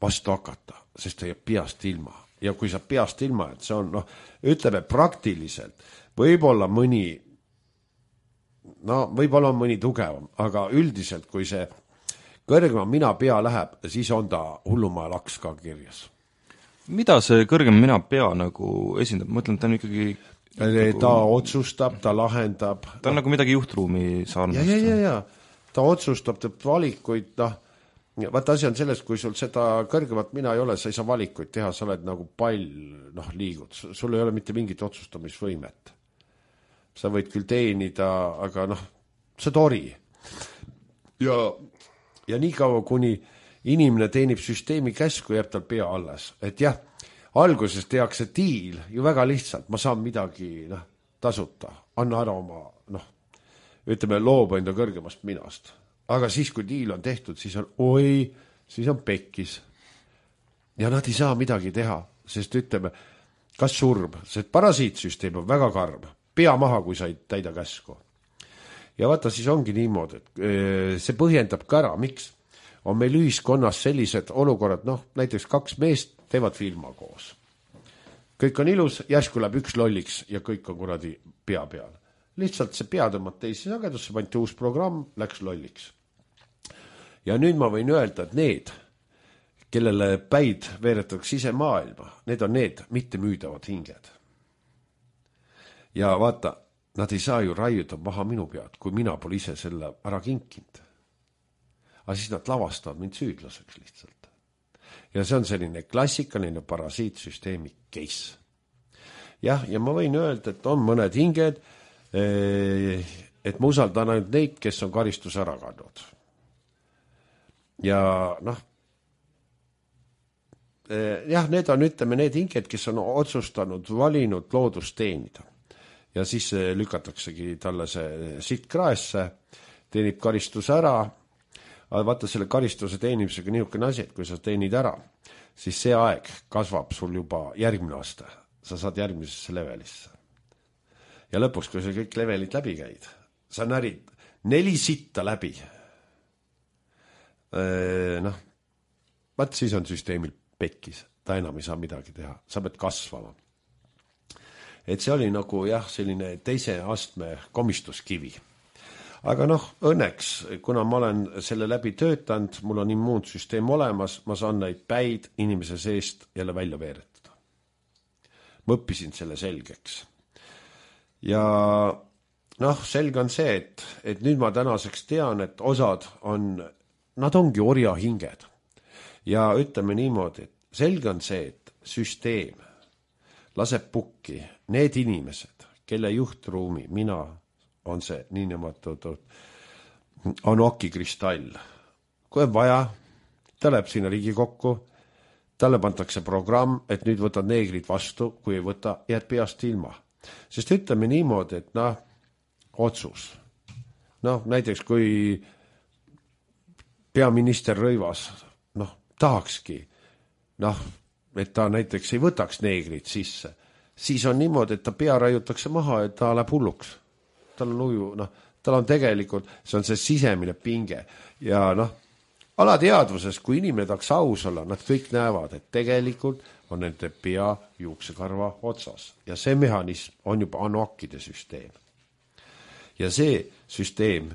vastu hakata, sest ta jääb peast ilma. Ja kui sa peast ilma, et see on, ütleme praktiliselt, võib-olla mõni tugevam, aga üldiselt, kui see kõrgema mina pea läheb, siis on ta hullumaja laks ka kirjas. Mida see kõrgem mina pea nagu esindab? Ma mõtlen, ta on ikkagi ta otsustab, ta lahendab. Ta on nagu midagi juhtruumi sarnast. Ja. Ta otsustab, teeb valikuid, vaata asi on selles, kui sul seda kõrgemat mina ei ole, sa ei saa valikuid teha, sa oled nagu pall, liigud. Sul ei ole mitte mingit otsustamisvõimet. Sa võid küll teenida, aga sa tori. Ja nii kaua, kuni inimene teenib süsteemi käsku, jääb tal pea alles. Et jah, alguses tehakse diil ju väga lihtsalt, ma saan midagi tasuta, anna ära oma, ütleme, loob enda kõrgemast minast. Aga siis, kui diil on tehtud, siis on pekkis. Ja nad ei saa midagi teha, sest ütleme, kas surm, see parasiitsüsteem on väga karm, pea maha, kui sa ei täida käsku. Ja vaata, siis ongi niimoodi, et see põhjendab ka ära, miks on meil ühiskonnas sellised olukorrad, näiteks 2 meest teevad filma koos. Kõik on ilus, järsku läheb üks lolliks ja kõik on kuradi pea peal. Lihtsalt see pea tõmmad teisi sagedusse, pandi uus programm, läks lolliks. Ja nüüd ma võin öelda, et need, kellele päid veeretatakse ise maailma, need on need mitte müüdavad hinged. Ja vaata, nad ei saa ju raiuda maha minu pead, kui mina pole ise selle ära kinkinud. Aga siis nad lavastavad mind süüdlaseks lihtsalt. Ja see on selline klassikaline parasiitsüsteemi case. Ja ma võin öelda, et on mõned hinged, et ma usaldan ainult neid, kes on karistus ära kandnud. Ja need on, ütleme, need hinged, kes on otsustanud, valinud loodust teenida. Ja siis lükataksegi talle see sitt kraesse, teenib karistuse ära, aga vaata selle karistuse teenimisega niisugune asi, et kui sa teenid ära, siis see aeg kasvab sul juba järgmine aasta. Sa saad järgmisesse levelisse. Ja lõpuks, kui sa kõik levelid läbi käid, sa närid 4 sitta läbi. Vaat siis on süsteemil pekkis, ta enam ei saa midagi teha, sa pead kasvama. Et see oli nagu selline teise astme komistuskivi. Aga õnneks, kuna ma olen selle läbi töötanud, mul on immuunsüsteem olemas, ma saan neid päid inimese seest jälle välja veeretada. Ma õppisin selle selgeks. Ja selge on see, et nüüd ma tänaseks tean, et osad nad ongi orjahinged. Ja ütleme niimoodi, et selge on see, et süsteem laseb pukki need inimesed, kelle juhtruumi mina on see niinimetatud Anoki kristall. Kui on vaja, ta läheb sinna Riigikokku, talle pantakse programm, et nüüd võtad neegrid vastu, kui ei võta, jääd peast ilma. Sest ütleme niimoodi, et otsus. Näiteks kui peaminister Rõivas tahakski, et ta näiteks ei võtaks neegrid sisse, siis on niimoodi, et ta pea raiutakse maha, et ta läheb hulluks. Tal on uju, tal on tegelikult, see on see sisemine pinge. Ja alateadvuses, kui inimene tahaks aus olla, nad kõik näevad, et tegelikult on nende pea juuksekarva otsas. Ja see mehhanism on juba Anokide süsteem. Ja see süsteem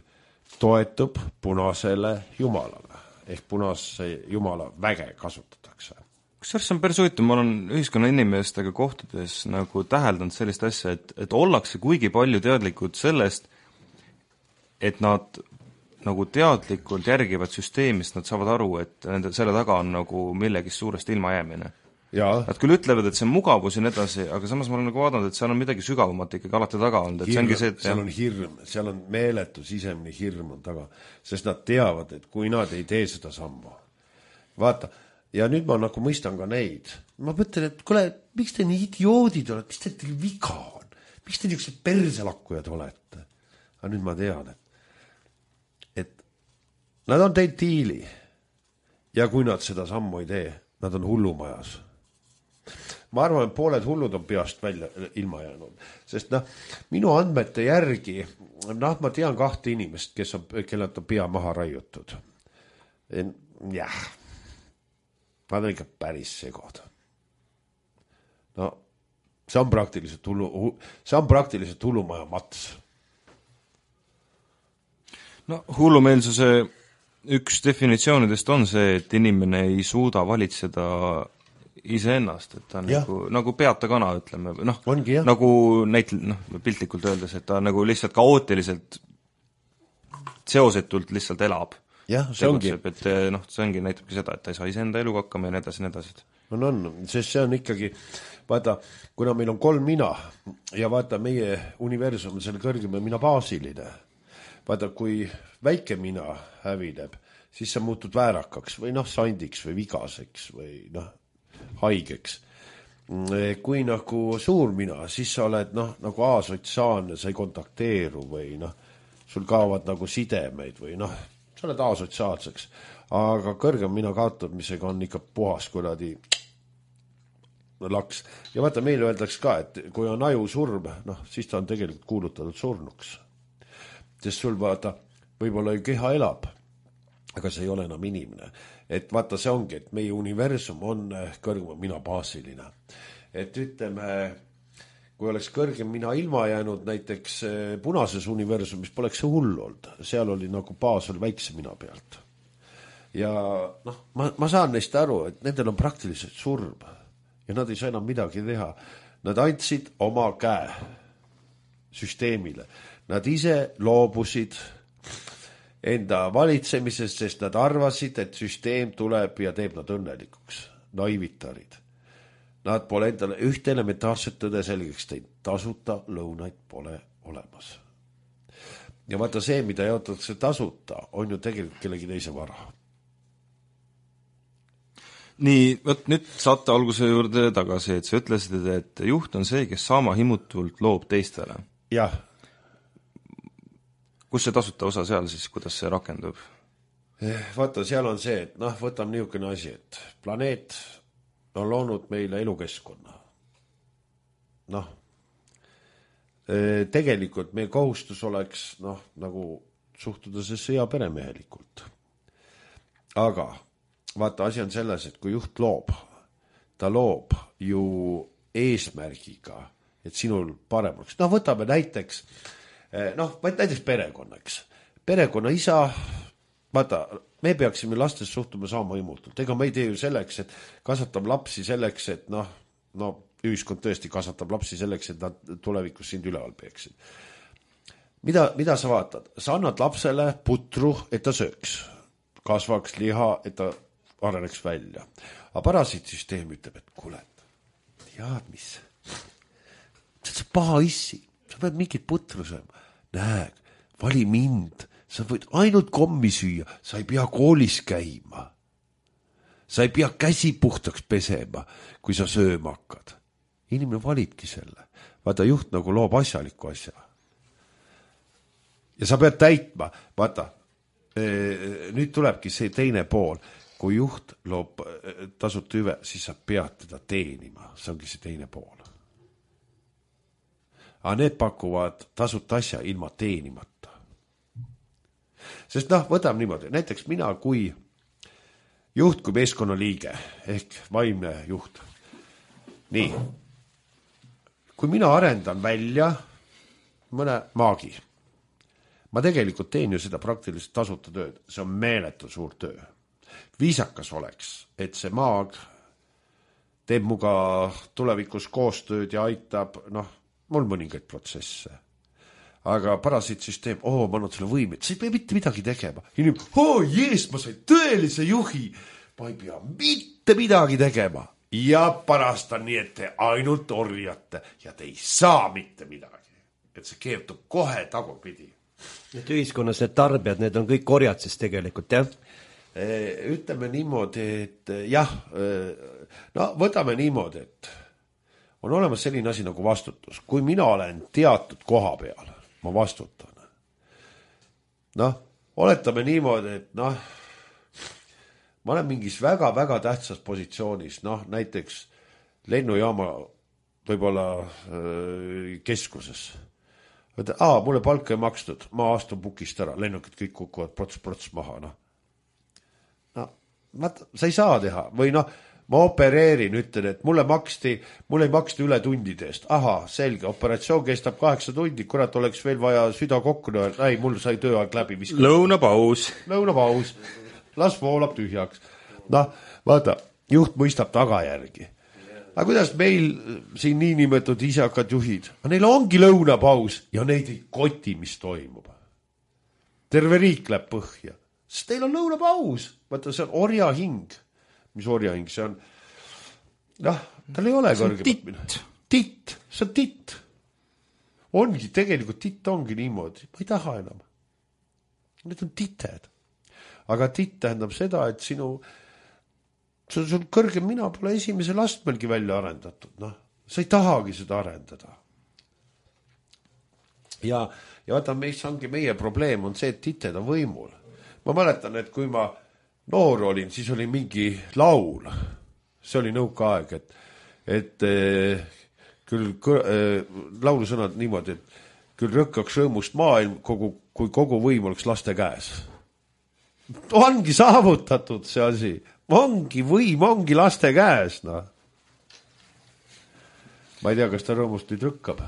toetub punasele jumalale. Ehk punase jumala väge kasutatakse. Kusjuures see on päris huvitav, ma olen ühiskonna inimestega kohtudes nagu täheldanud sellist asja, et ollakse kuigi palju teadlikud sellest, et nad nagu teadlikult järgivad süsteemist, nad saavad aru, et selle taga on nagu millegist suurest ilmajäämine. Nad küll ütlevad, et see on mugavus ja nii edasi, aga samas ma olen nagu vaadanud, et seal on midagi sügavamat ikkagi alati taga olnud, et see ongi see, et seal on hirm, seal on meeletu sisemine hirm on taga, sest nad teavad, et kui nad ei tee seda sammu. Vaata, ja nüüd ma nagu mõistan ka neid. Ma mõtlen, et kuule, miks te nii idioodid olete, mis teil viga on? Miks te niisugused perselakkujad olete? Aga nüüd ma tean, et nad on teinud diili ja kui nad seda sammu ei tee, nad on hullumajas. Ma arvan, et pooled hullud on peast välja ilma jäänud, sest minu andmete järgi, ma tean 2 inimest, kellelt on pea maha raiutud. Jah, nad on ikka päris segod. No, see on praktiliselt hullumaja mats. No, hullumeelsuse üks definitsioonidest on see, et inimene ei suuda valitseda iseennast, et ta on nagu peata kana, ütleme, nagu piltlikult öeldes, et ta nagu lihtsalt kaootiliselt seosetult lihtsalt elab. Jah, see ongi. Et see ongi näitabki seda, et ta ei saa iseenda eluga hakkama ja nii edasi. On, sest see on ikkagi, vaata, kuna meil on 3 mina ja vaata, meie universum on selle kõrgema mina baasiline. Vaata, kui väike mina hävineb, siis sa muutud väärakaks või sandiks või vigaseks või haigeks. Kui nagu suur mina, siis sa oled nagu asotsiaalne, sa ei kontakteeru või sul kaovad nagu sidemeid või sa oled asotsiaalseks. Aga kõrgem mina kaotamisega on ikka puhas kuradi laks. Ja vaata, meile öeldaks ka, et kui on aju surm, siis ta on tegelikult kuulutatud surnuks. Sest sul vaata, võib-olla ju keha elab, aga see ei ole enam inimene. Et vaata, see ongi, et meie universum on kõrgem mina baasiline. Et ütleme, kui oleks kõrgem mina ilma jäänud näiteks punases universumis, poleks see hull olnud. Seal oli nagu baas oli väikse mina pealt. Ja ma saan neist aru, et nendel on praktiliselt surm ja nad ei saa enam midagi teha. Nad andsid oma käe süsteemile. Nad ise loobusid enda valitsemisest, sest nad arvasid, et süsteem tuleb ja teeb nad õnnelikuks. Naivitarid. Nad pole endale ühte elementaarset tõde selgeks teinud. Tasuta lõunaid pole olemas. Ja vaata see, mida jaotatakse tasuta, on ju tegelikult kellegi teise vara. Nii, nüüd saate alguse juurde tagasi, et sa ütlesid, et juht on see, kes saama himutult loob teistele. Jah. Kus see tasuta osa seal siis, kuidas see rakendub? Vaata, seal on see, et võtame niisugune asi, et planeet on loonud meile elukeskkonna. Tegelikult meil kohustus oleks nagu suhtuda see sõja peremehelikult. Aga vaata, asi on selles, et kui juht loob, ta loob ju eesmärgiga, et sinul parem oleks. Võtame näiteks perekonnaks. Perekonna isa, vaata, me peaksime lastes suhtuma saama himutult. Ega me ei tee ju selleks, et kasvatab lapsi selleks, et ühiskond tõesti kasvatab lapsi selleks, et nad tulevikus sind üleval peeksid. Mida sa vaatad? Sa annad lapsele putru, et ta sööks. Kasvaks liha, et ta areneks välja. Aga parasiitsüsteem ütleb, et kuule, tead mis? See paha issi. Sa pead mingit putru sööma. Näeg, vali mind. Sa võid ainult kommi süüa. Sa ei pea koolis käima. Sa ei pea käsi puhtaks pesema, kui sa sööma hakkad. Inimene valibki selle. Vaata, juht nagu loob asjaliku asja. Ja sa pead täitma. Vaata, nüüd tulebki see teine pool. Kui juht loob tasuta hüve, siis sa pead teda teenima. See ongi see teine pool. Aga need pakuvad tasuta asja ilma teenimata. Sest võtame niimoodi, näiteks mina kui juht, kui meeskonnaliige ehk vaimne juht. Nii, kui mina arendan välja mõne maagi, ma tegelikult teen ju seda praktiliselt tasuta tööd, see on meeletu suur töö. Viisakas oleks, et see maag teeb muga tulevikus koostööd ja aitab, mul mõningaid protsesse. Aga parasiitsüsteem, ma annan selle võimet, sa ei pea mitte midagi tegema. Inimene, jees, ma sain tõelise juhi, ma ei pea mitte midagi tegema. ja pärast on nii, et te ainult orjate ja te ei saa mitte midagi. Et see keertub kohe tagurpidi. Et ühiskonnas need tarbijad, need on kõik orjad siis tegelikult, jah? Ütleme niimoodi, et jah, no võtame niimoodi, et on olemas selline asi nagu vastutus. Kui mina olen teatud koha peal, ma vastutan. Noh, oletame niimoodi, et noh, ma olen mingis väga-väga tähtsas positsioonis, noh, näiteks lennujaama võib-olla keskuses. Mulle palka ei makstud, ma astun pukist ära, lennukid kõik kukuvad prots maha, noh. Sa ei saa teha või noh, ma opereerin, ütlen, et mulle ei maksti üle tundide eest. Aha, selge, operatsioon kestab 8 tundi, kurat oleks veel vaja süda kokku, ei, mul sai tööaeg läbi. Lõunapaus, las voolab tühjaks. Noh, vaata, juht mõistab tagajärgi. Aga kuidas meil siin niinimetatud isakad juhid? Neil ongi lõunapaus ja neid ei koti, mis toimub. Terve riik läheb põhja. Sest teil on lõunapaus. Vaata, see on orja hing. Mis orja hing? See on, tal ei ole kõrgemat. Titt, see on titt. Ongi, tegelikult titt ongi niimoodi. Ma ei taha enam. Need on tited. Aga titt tähendab seda, et sul kõrgem mina pole esimesel astmelgi välja arendatud. No, sa ei tahagi seda arendada. Ja vaata, meie probleem on see, et tited on võimul. Ma mäletan, et kui ma noor olin, siis oli mingi laul. See oli nõukaaeg, et küll laulusõnad niimoodi, et küll rõkkaks rõõmust maailm, kui kogu võim oleks laste käes. Ongi saavutatud see asi. Võim ongi laste käes. No. Ma ei tea, kas ta rõõmust nüüd rõkkab.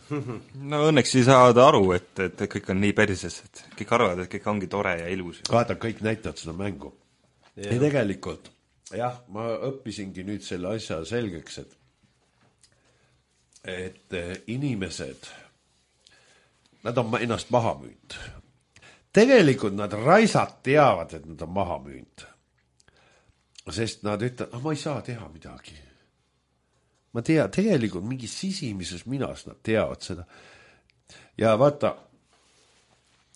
No õnneks ei saada aru, et kõik on nii perses, et kõik arvavad, et kõik ongi tore ja ilus. Vaata, kõik näitavad seda mängu. Ja tegelikult, jah, ma õppisingi nüüd selle asja selgeks, et inimesed, nad on ennast maha müünud. Tegelikult nad raisad teavad, et nad on maha müünud. Sest nad ütlevad, ma ei saa teha midagi. Ma tean, tegelikult mingi sisimises minas nad teavad seda. Ja vaata,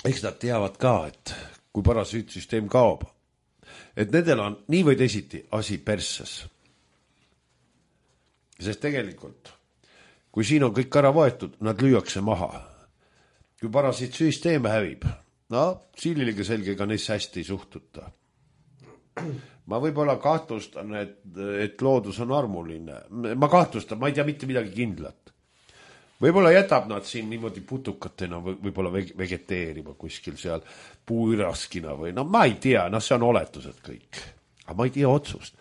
eks nad teavad ka, et kui parasüütsüsteem kaob, et nendel on nii või teisiti asi persses. Sest tegelikult, kui siin on kõik ära võetud, nad lüüakse maha. Kui parasüütsüsteem hävib, silliliga selge, ega neisse hästi ei suhtuta. Ma võib-olla kahtlustan, et loodus on armuline. Ma kahtlustan, ma ei tea mitte midagi kindlat. Võib-olla jätab nad siin niimoodi putukatena võib-olla vegeteerima kuskil seal puuiraskina või ma ei tea, see on oletused kõik. Aga ma ei tea otsust.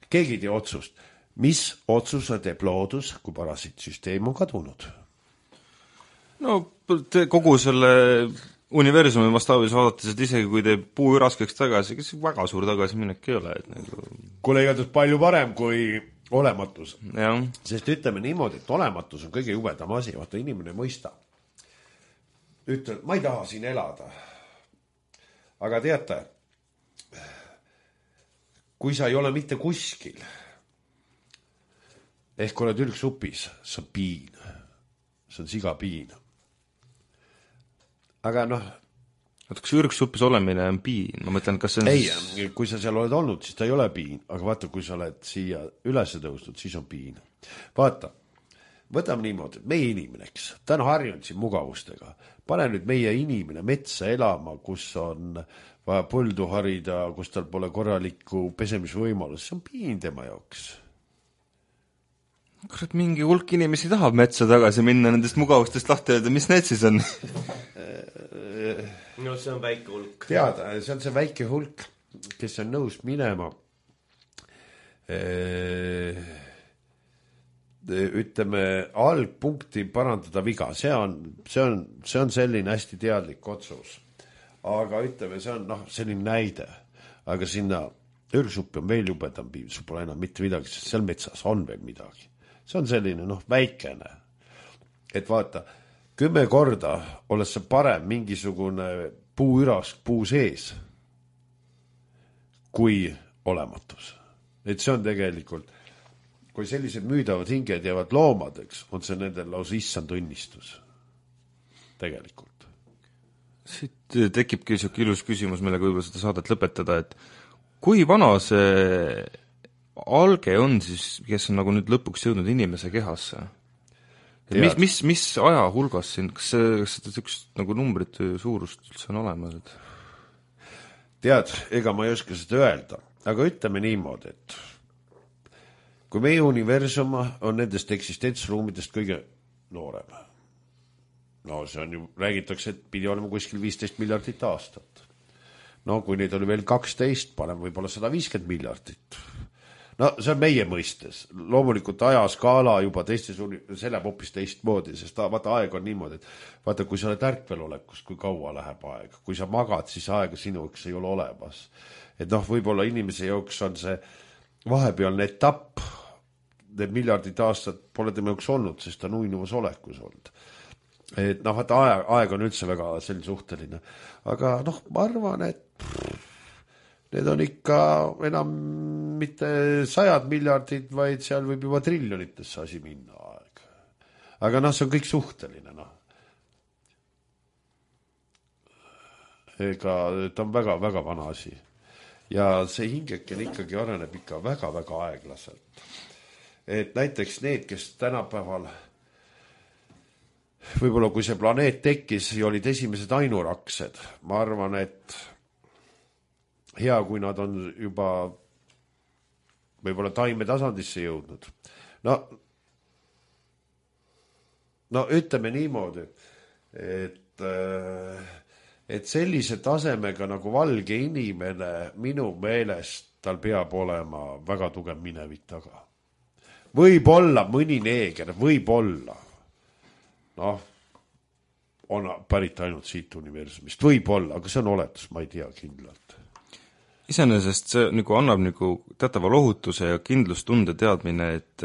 Keegi ei tea otsust. Mis otsuse teeb loodus, kui parasitsüsteem on kadunud? No kogu selle universumi vastaavus vaadates, et isegi kui teeb puu raskeks tagasi, kes väga suur tagasiminek ei ole. Kuule, igatahes palju parem kui olematus. Ja. Sest ütleme niimoodi, et olematus on kõige jubedam asi, vaata inimene mõista. Ütled, ma ei taha siin elada. Aga teate, kui sa ei ole mitte kuskil, ehk oled ülgsupis, see on piin. See on sigapiin. Aga kas ürgsuppis olemine on piin? Ma mõtlen, kas see on... Ei, kui sa seal oled olnud, siis ta ei ole piin. Aga vaata, kui sa oled siia üles tõusnud, siis on piin. Vaata, võtame niimoodi, meie inimeneks. Ta on harjunud siin mugavustega. Pane nüüd meie inimene metsa elama, kus on vaja põldu harida, kus tal pole korralikku pesemisvõimalus. See on piin tema jaoks. Kurat, mingi hulk inimesi tahab metsa tagasi minna nendest mugavustest lahti öelda, mis need siis on? No see on väike hulk. Teada, see on see väike hulk, kes on nõus minema ütleme algpunkti parandada viga. See on selline hästi teadlik otsus. Aga ütleme, see on selline näide. Aga sinna ürgsuppi on veel jubedam piim, sul pole enam mitte midagi, sest seal metsas on veel midagi. See on selline väikene. Et vaata, 10 korda olles see parem mingisugune puuürask puu sees kui olematus. Et see on tegelikult kui sellised müüdavad hinged jäävad loomadeks, on see nendel lausa issand õnnistus. Tegelikult. Siit tekibki niisugune ilus küsimus, millega võib-olla seda saadet lõpetada, et kui vana see alge on siis, kes on nagu nüüd lõpuks jõudnud inimese kehasse? Mis aja hulgas siin, kas seda üks nagu numbrit suurust üldse on olemas? Tead, ega ma ei oska seda öelda, aga ütleme niimoodi, et kui meie universum on nendest eksistentsruumidest kõige noorem. No see on ju, räägitakse, et pidi olema kuskil 15 miljardit aastat. No kui neid oli veel 12, paneme võib-olla 150 miljardit. No see on meie mõistes. Loomulikult ajaskaala juba teistes, see läheb hoopis teistmoodi, sest vaata aeg on niimoodi, et vaata, kui sa oled ärkvelolekus, kui kaua läheb aeg. Kui sa magad, siis aega sinuks ei ole olemas. Et noh, võib-olla inimese jooks on see vahepealne etapp, need miljardid aastad pole tema jaoks olnud, sest ta on uinuvas olekus olnud. Et noh, vaata aeg on üldse väga selline suhteline. Aga noh, ma arvan, et need on ikka enam mitte 100 miljardid, vaid seal võib juba triljonitesse asi minna aeg. Aga noh, see on kõik suhteline, noh. Ega ta on väga-väga vana asi. Ja see hingeken ikkagi areneb ikka väga-väga aeglaselt. Et näiteks need, kes tänapäeval, võib-olla kui see planeet tekkis ja olid esimesed ainuraksed, ma arvan, et hea, kui nad on juba võib-olla taime tasandisse jõudnud. No ütleme niimoodi, et sellise tasemega nagu valge inimene minu meelest tal peab olema väga tugev minevik taga. Võib-olla mõni neeger, võib-olla. Noh, on pärit ainult siit universumist. Võib-olla, aga see on oletus, ma ei tea kindlalt. Iseenesest see nagu annab nagu teatava lohutuse ja kindlustunde teadmine, et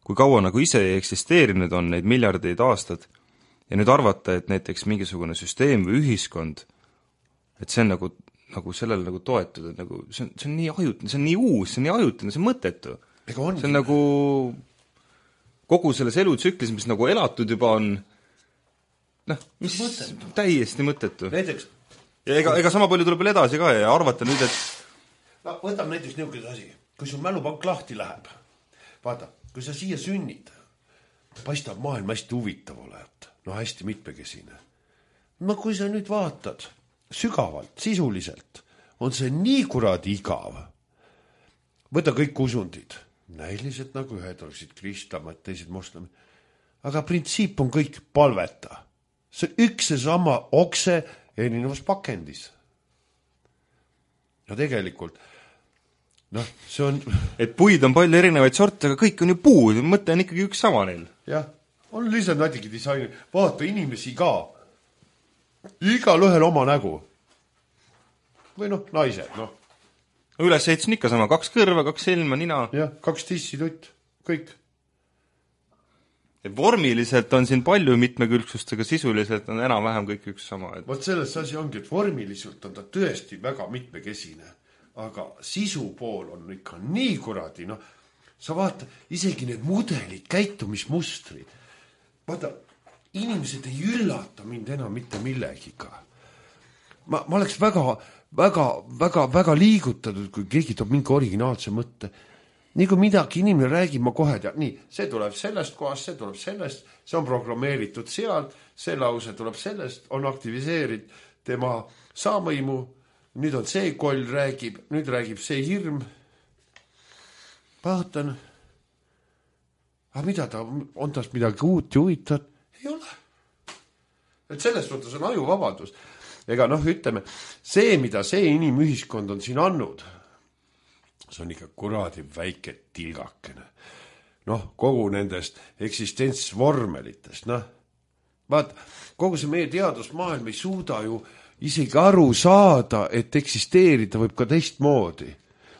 kui kaua nagu ise ei eksisteerinud on neid miljardeid aastad ja nüüd arvata, et näiteks mingisugune süsteem või ühiskond, et see on nagu sellele nagu toetud, et nagu see on nii ajutine, see on nii uus, see on nii ajutine, see on mõttetu. See on nagu kogu selles elutsüklis, mis nagu elatud juba on, noh, mis mõttetu. Täiesti mõttetu. Näiteks, ja ega sama palju tuleb veel edasi ka ja arvata nüüd, et no, võtame näiteks niisugune asi, kui sul mälupank lahti läheb, vaata, kui sa siia sünnid, paistab maailm hästi huvitav olevat, no hästi mitmekesine. No kui sa nüüd vaatad sügavalt, sisuliselt, on see nii kuradi igav. Võta kõik usundid. Näiliselt nagu ühed oleksid kristlamad, teised moslemid. Aga printsiip on kõik palveta. See üks ja sama okse erinevas pakendis. Ja tegelikult, noh, see on... Et puid on palju erinevaid sorte, aga kõik on ju puud, mõte on ikkagi üks sama neil. Jah, on lihtsalt natuke disaini. Vaata inimesi ka. Igal ühel oma nägu. Või noh, naised, noh. Üles ehitasin ikka sama, 2 kõrva, 2 silma, nina. Jah, 2 tissitutt, kõik. Vormiliselt on siin palju mitmekülgsust, aga sisuliselt on enam-vähem kõik üks sama. Vot selles asi ongi, et vormiliselt on ta tõesti väga mitmekesine, aga sisu pool on ikka nii kuradi, noh, sa vaata, isegi need mudelid, käitumismustrid. Vaata, inimesed ei üllata mind enam mitte millegiga. Ma oleks väga liigutatud, kui keegi toob mingi originaalse mõtte. Nii kui midagi inimene räägib, ma kohe tean, nii, see tuleb sellest kohast, see tuleb sellest, see on programmeeritud sealt, see lause tuleb sellest, on aktiviseeritud tema saamõimu, nüüd on see koll räägib, nüüd räägib see hirm. Vaatan, aga mida ta, on tast midagi uut ja huvitavat? Ei ole. Et sellest mõttes on ajuvabadus. Ega noh, ütleme, see, mida see inimühiskond on siin andnud, see on ikka kuradi väike tilgakene. Noh, kogu nendest eksistentsvormelitest, noh. Vaat, kogu see meie teadusmaailm ei suuda ju isegi aru saada, et eksisteerida võib ka teistmoodi.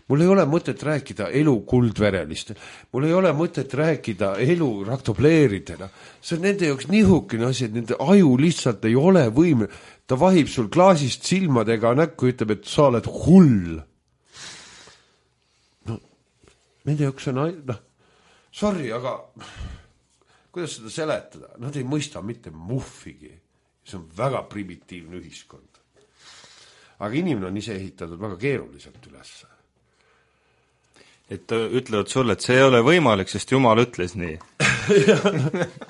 Mul ei ole mõtet rääkida elu kuldverelist. Mul ei ole mõtet rääkida elu raktobleeridena. See on nende jaoks nihukene asi, et nende aju lihtsalt ei ole võime. Ta vahib sul klaasist silmadega näkku, ütleb, et sa oled hull. No, nende jaoks on, noh, sorry, aga kuidas seda seletada? Nad ei mõista mitte muhvigi. See on väga primitiivne ühiskond. Aga inimene on ise ehitatud väga keeruliselt üles. Et ütlevad sulle, et see ei ole võimalik, sest Jumal ütles nii.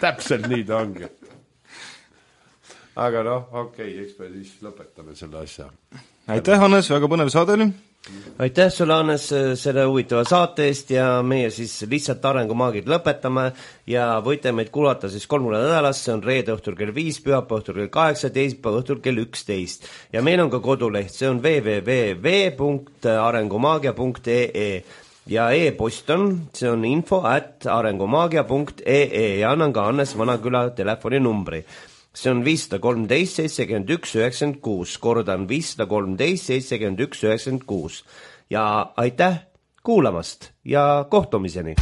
Täpselt nii ta ongi. Aga okei, eks me siis lõpetame selle asja. Aitäh, Hannes, väga põnev saade oli. Aitäh sulle, Hannes, selle huvitava saate eest ja meie siis lihtsalt arengumaagid lõpetame ja võite meid kuulata siis 3 nädalas, see on reede õhtul kell 5, pühapäeva õhtul kell 8, teisipäeva õhtul kell 11. Ja meil on ka koduleht, see on www.arengumaagia.ee ja e-post on, see on info@arengumaagia.ee ja annan ka Hannes Vanaküla telefoninumbri. See on 513 71 96, kordan 513 71 96 ja aitäh kuulamast ja kohtumiseni!